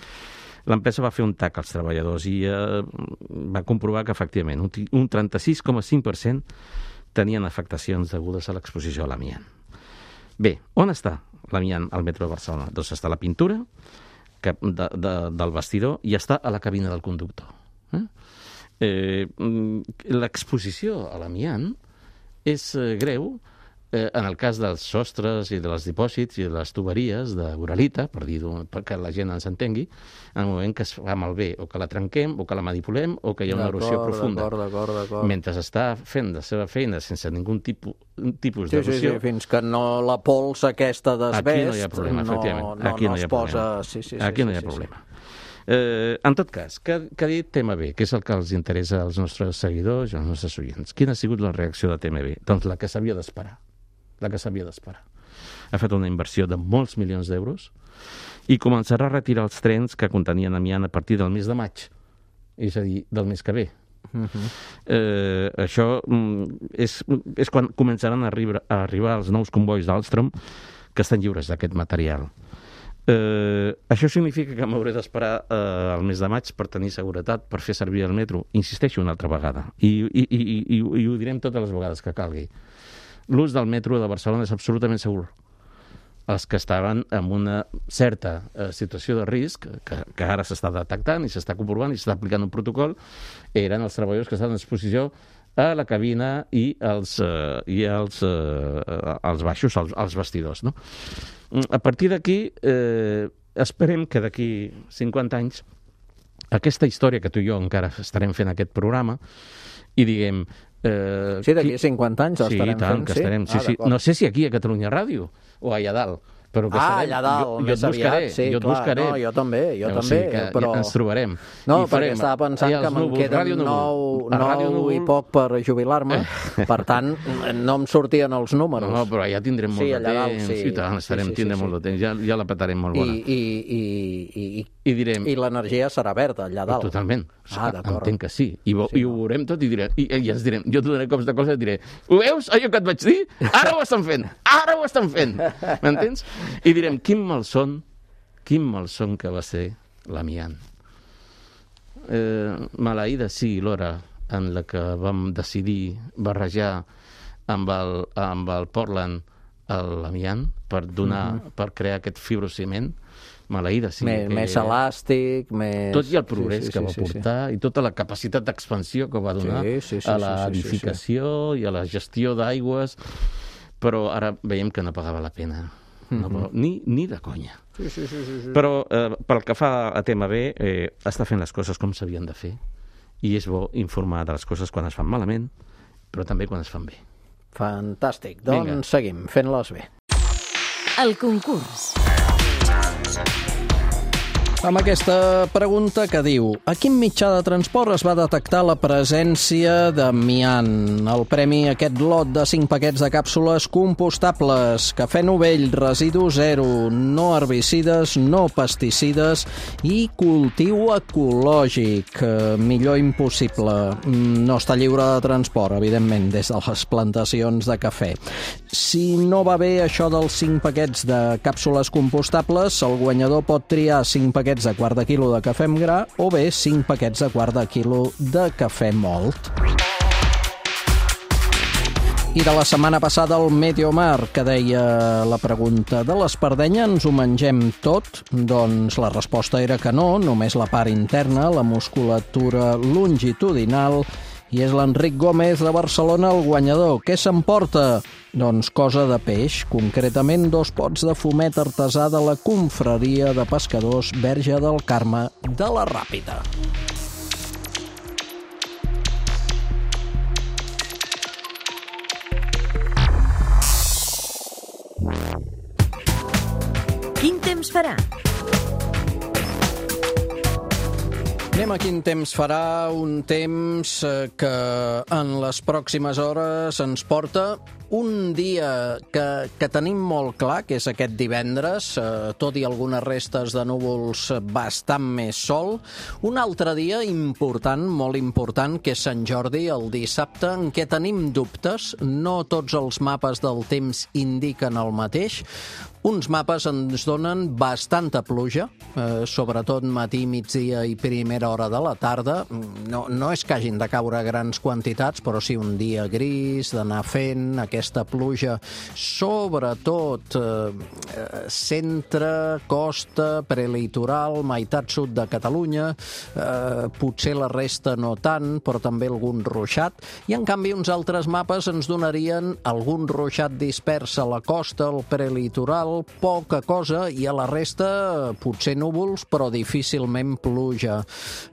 l'empresa va fer un TAC als treballadors i va comprovar que, efectivament, un 36,5% tenien afectacions degudes a l'exposició a l'amiant. Bé, on està l'amiant al metro de Barcelona? Doncs està a la pintura del vestidor i està a la cabina del conductor. L'exposició a l'amiant és greu en el cas dels sostres i dels dipòsits i de les tuberies d'Uralita, perquè la gent ens entengui, en el moment que es fa malbé, o que la trenquem, o que la manipulem, o que hi ha una erosió profunda. D'acord. Mentre està fent la seva feina sense ningú tipus d'erosió... Sí, fins que no la pols aquesta d'asbest... Aquí no hi ha problema, efectivament. Aquí no hi ha problema. Aquí no hi ha problema. En tot cas, què ha dit TMB? Què és el que els interessa als nostres seguidors i als nostres oients? Quina ha sigut la reacció de TMB? Doncs la que s'havia d'esperar. Ha fet una inversió de molts milions d'euros i començarà a retirar els trens que contenien amiant a partir del mes de maig, és a dir, del mes que ve. Això és quan començaran a arribar els nous convois d'Alstom que estan lliures d'aquest material. Això significa que m'hauré d'esperar al mes de maig per tenir seguretat, per fer servir el metro. Insisteixo una altra vegada, i ho direm totes les vegades que calgui. L'ús del metro de Barcelona és absolutament segur. Els que estaven en una certa situació de risc, que ara s'està detectant i s'està comprovant i s'està aplicant un protocol, eren els treballadors que estaven en exposició a la cabina i als baixos, als vestidors. No? A partir d'aquí, esperem que d'aquí 50 anys aquesta història que tu i jo encara estarem fent aquest programa i diguem... Sí, d'aquí 50 anys estarem fent, sí? Estarem, sí. No sé si aquí a Catalunya Ràdio o allà dalt, però que estarem... allà dalt, més aviat, sí, clar, no, jo també, però... ens trobarem. No, perquè estava pensant que me'n queden 9 i poc per jubilar-me, per tant, no em sortien els números. No, però allà tindrem molt de temps, i tant, tindrem molt de temps, ja la petarem molt bona. I l'energia serà verda allà dalt. Totalment, entenc que sí, i ho veurem tot i ens direm, jo t'ho donaré cops de cosa i et diré, ho veus, allò que et vaig dir? Ara ho estan fent, m'entens? I direm, quin malson que va ser l'amiant. Maleïda sigui l'hora en la que vam decidir barrejar amb el Portland l'amiant, per crear aquest fibrociment, maleïda. Sí, més elàstic, més... Tot i el progrés que va portar i tota la capacitat d'expansió que va donar a l'edificació i a la gestió d'aigües, però ara veiem que no pagava la pena. Ni de conya. Però pel que fa a tema B, està fent les coses com s'havien de fer i és bo informar de les coses quan es fan malament, però també quan es fan bé. Fantàstic. Doncs seguim fent-les bé. El concurs. Amb aquesta pregunta que diu: a quin mitjà de transport es va detectar la presència d'amiant? El premi, aquest lot de 5 paquets de càpsules compostables, cafè novell, residu zero, no herbicides, no pesticides i cultiu ecològic. Millor impossible. No està lliure de transport, evidentment, des de les plantacions de cafè. Si no va bé això dels 5 paquets de càpsules compostables, el guanyador pot triar 5 paquets de quart de quilo de cafè amb gra o bé 5 paquets de quart de quilo de cafè mòlt. I de la setmana passada el Mediomar, que deia la pregunta: de l'espardenya ens ho mengem tot? Doncs la resposta era que no, només la part interna, la musculatura longitudinal, i és l'Enric Gómez de Barcelona el guanyador. Què s'emporta? Doncs cosa de peix, concretament 2 pots de fumet artesà de la confraria de pescadors Verge del Carme de la Ràpita. Quin temps farà? Anem a quin temps farà, un temps que en les pròximes hores ens porta un dia que tenim molt clar, que és aquest divendres, tot i algunes restes de núvols, bastant més sol. Un altre dia important, molt important, que és Sant Jordi, el dissabte, en què tenim dubtes. No tots els mapes del temps indiquen el mateix. Uns mapes ens donen bastanta pluja, sobretot matí, migdia i primera hora de la tarda. No és que hagin de caure grans quantitats, però sí un dia gris, d'anar fent aquesta pluja, sobretot centre, costa, prelitoral, meitat sud de Catalunya, potser la resta no tant, però també algun ruixat. I en canvi uns altres mapes ens donarien algun ruixat dispers a la costa, al prelitoral, poca cosa, i a la resta potser núvols, però difícilment pluja.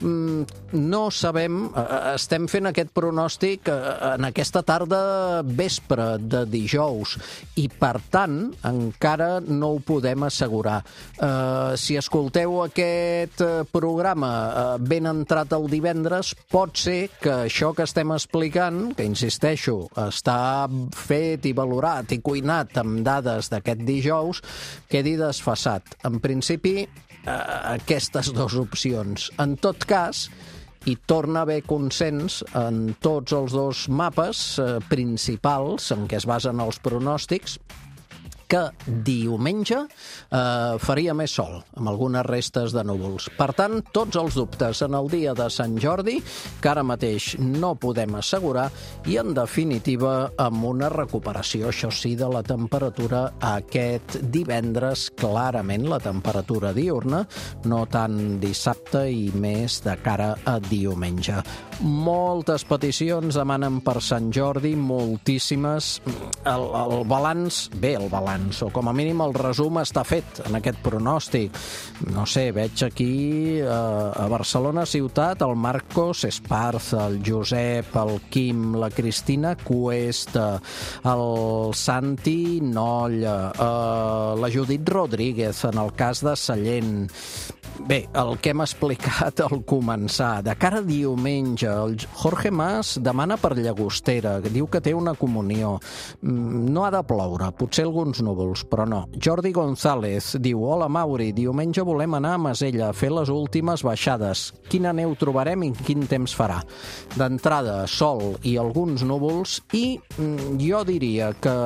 No sabem, estem fent aquest pronòstic en aquesta tarda vespre de dijous, i per tant encara no ho podem assegurar. Si escolteu aquest programa ben entrat el divendres, pot ser que això que estem explicant, que insisteixo, està fet i valorat i cuinat amb dades d'aquest dijous, quedi desfasat. En principi, aquestes 2 opcions. En tot cas, hi torna a haver consens en tots els 2 mapes principals en què es basen els pronòstics, que diumenge faria més sol, amb algunes restes de núvols. Per tant, tots els dubtes en el dia de Sant Jordi, que ara mateix no podem assegurar, i en definitiva amb una recuperació, això sí, de la temperatura aquest divendres, clarament la temperatura diurna, no tant dissabte i més de cara a diumenge. Moltes peticions demanen per Sant Jordi, moltíssimes. El balanç, o com a mínim el resum està fet en aquest pronòstic. No sé, veig aquí a Barcelona ciutat el Marcos Esparza, el Josep, el Quim, la Cristina Cuesta, el Santi Nolla, la Judit Rodríguez en el cas de Sallent. Bé, el que hem explicat al començar. De cara a diumenge, el Jorge Mas demana per Llagostera, que diu que té una comunió. No ha de ploure, potser alguns núvols, però no. Jordi González diu: hola Mauri, diumenge volem anar a Masella a fer les últimes baixades. Quina neu trobarem i quin temps farà? D'entrada, sol i alguns núvols, i jo diria que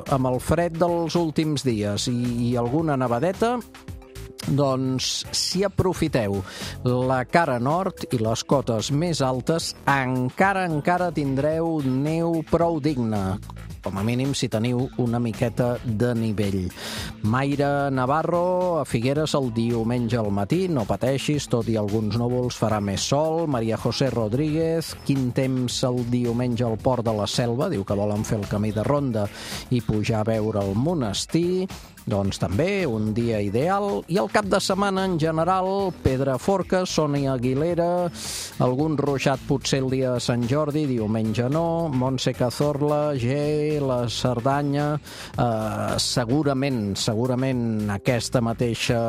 amb el fred dels últims dies i alguna nevadeta, doncs si aprofiteu la cara nord i les cotes més altes, encara tindreu neu prou digna. com a mínim si teniu una miqueta de nivell. Mayra Navarro, a Figueres el diumenge al matí, no pateixis, tot i alguns núvols farà més sol. Maria José Rodríguez, quin temps el diumenge al Port de la Selva, diu que volen fer el camí de ronda i pujar a veure el monestir. Doncs també un dia ideal. I el cap de setmana en general, Pedraforca, Sònia Aguilera, algun ruixat potser el dia de Sant Jordi, diumenge no, Montse Cazorla, G, la Cerdanya, segurament aquesta mateixa,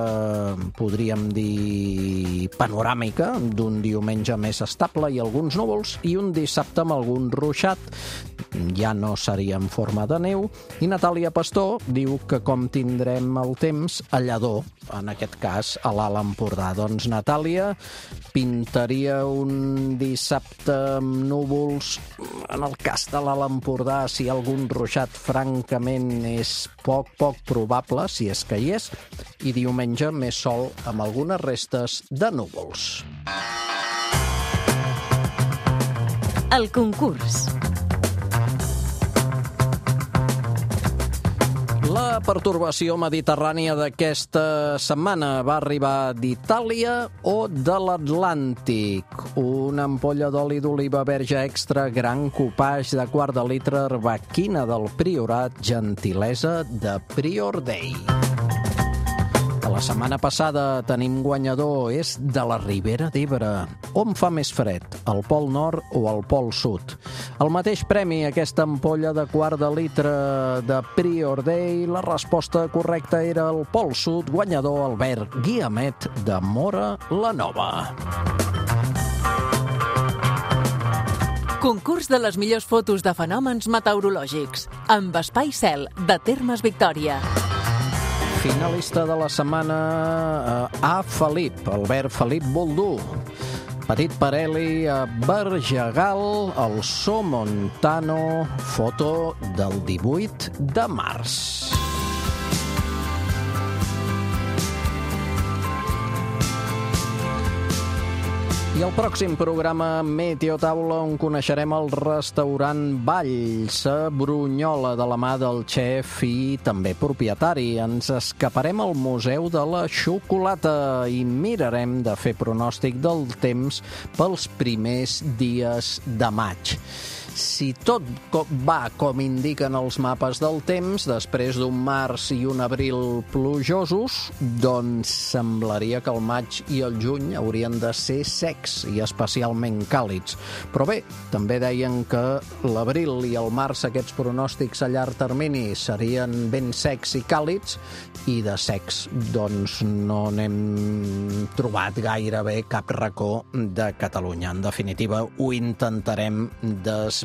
podríem dir, panoràmica d'un diumenge més estable i alguns núvols, i un dissabte amb algun ruixat, ja no seria en forma de neu. I Natàlia Pastor diu que com tindrem el temps a Lledó, en aquest cas a l'Alt Empordà. Doncs Natàlia, pintaria un dissabte amb núvols. En el cas de l'Alt Empordà, si hi ha algun ruixat, francament és poc probable, si és que hi és, i diumenge més sol amb algunes restes de núvols. El concurs. La pertorbació mediterrània d'aquesta setmana va arribar d'Itàlia o de l'Atlàntic. Una ampolla d'oli d'oliva verge extra, gran copage de quart de litre, arbequina del Priorat, gentilesa de Prior Day. De la setmana passada tenim guanyador, és de la Ribera d'Ebre. On fa més fred, al Pol Nord o al Pol Sud? El mateix premi, aquesta ampolla de quart de litre de Prior Day, la resposta correcta era el Pol Sud, guanyador Albert Guiamet de Móra la Nova. Concurs de les millors fotos de fenòmens meteorològics, amb Espai Cel, de Termes Victòria. Finalista de la setmana A. Felip, Albert Felip Boldú. Petit Parelli a Bergegal, el Somontano, foto del 18 de març. I el pròxim programa Meteotaula, on coneixerem el restaurant Valls a Brunyola, de la mà del xef i també propietari. Ens escaparem al Museu de la Xocolata i mirarem de fer pronòstic del temps pels primers dies de maig. Si tot va com indiquen els mapes del temps, després d'un març i un abril plujosos, doncs semblaria que el maig i el juny haurien de ser secs i especialment càlids. Però bé, també deien que l'abril i el març, aquests pronòstics a llarg termini, serien ben secs i càlids, i de secs doncs no n'hem trobat gairebé cap racó de Catalunya. En definitiva, ho intentarem desbrinar.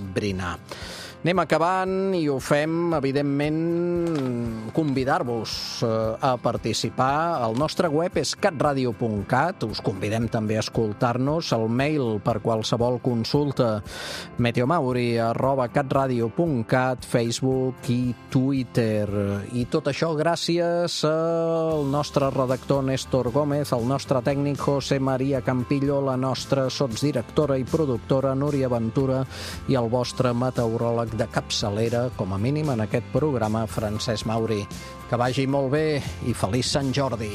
Anem acabant i ho fem, evidentment, convidar-vos a participar. El nostre web és catradio.cat. Us convidem també a escoltar-nos. El mail per qualsevol consulta, meteomauri@catradio.cat, Facebook i Twitter. I tot això gràcies al nostre redactor Néstor Gómez, al nostre tècnic José María Campillo, la nostra sotsdirectora i productora Núria Ventura i el vostre meteoròleg de capçalera, com a mínim en aquest programa, Francesc Mauri. Que vagi molt bé i feliç Sant Jordi.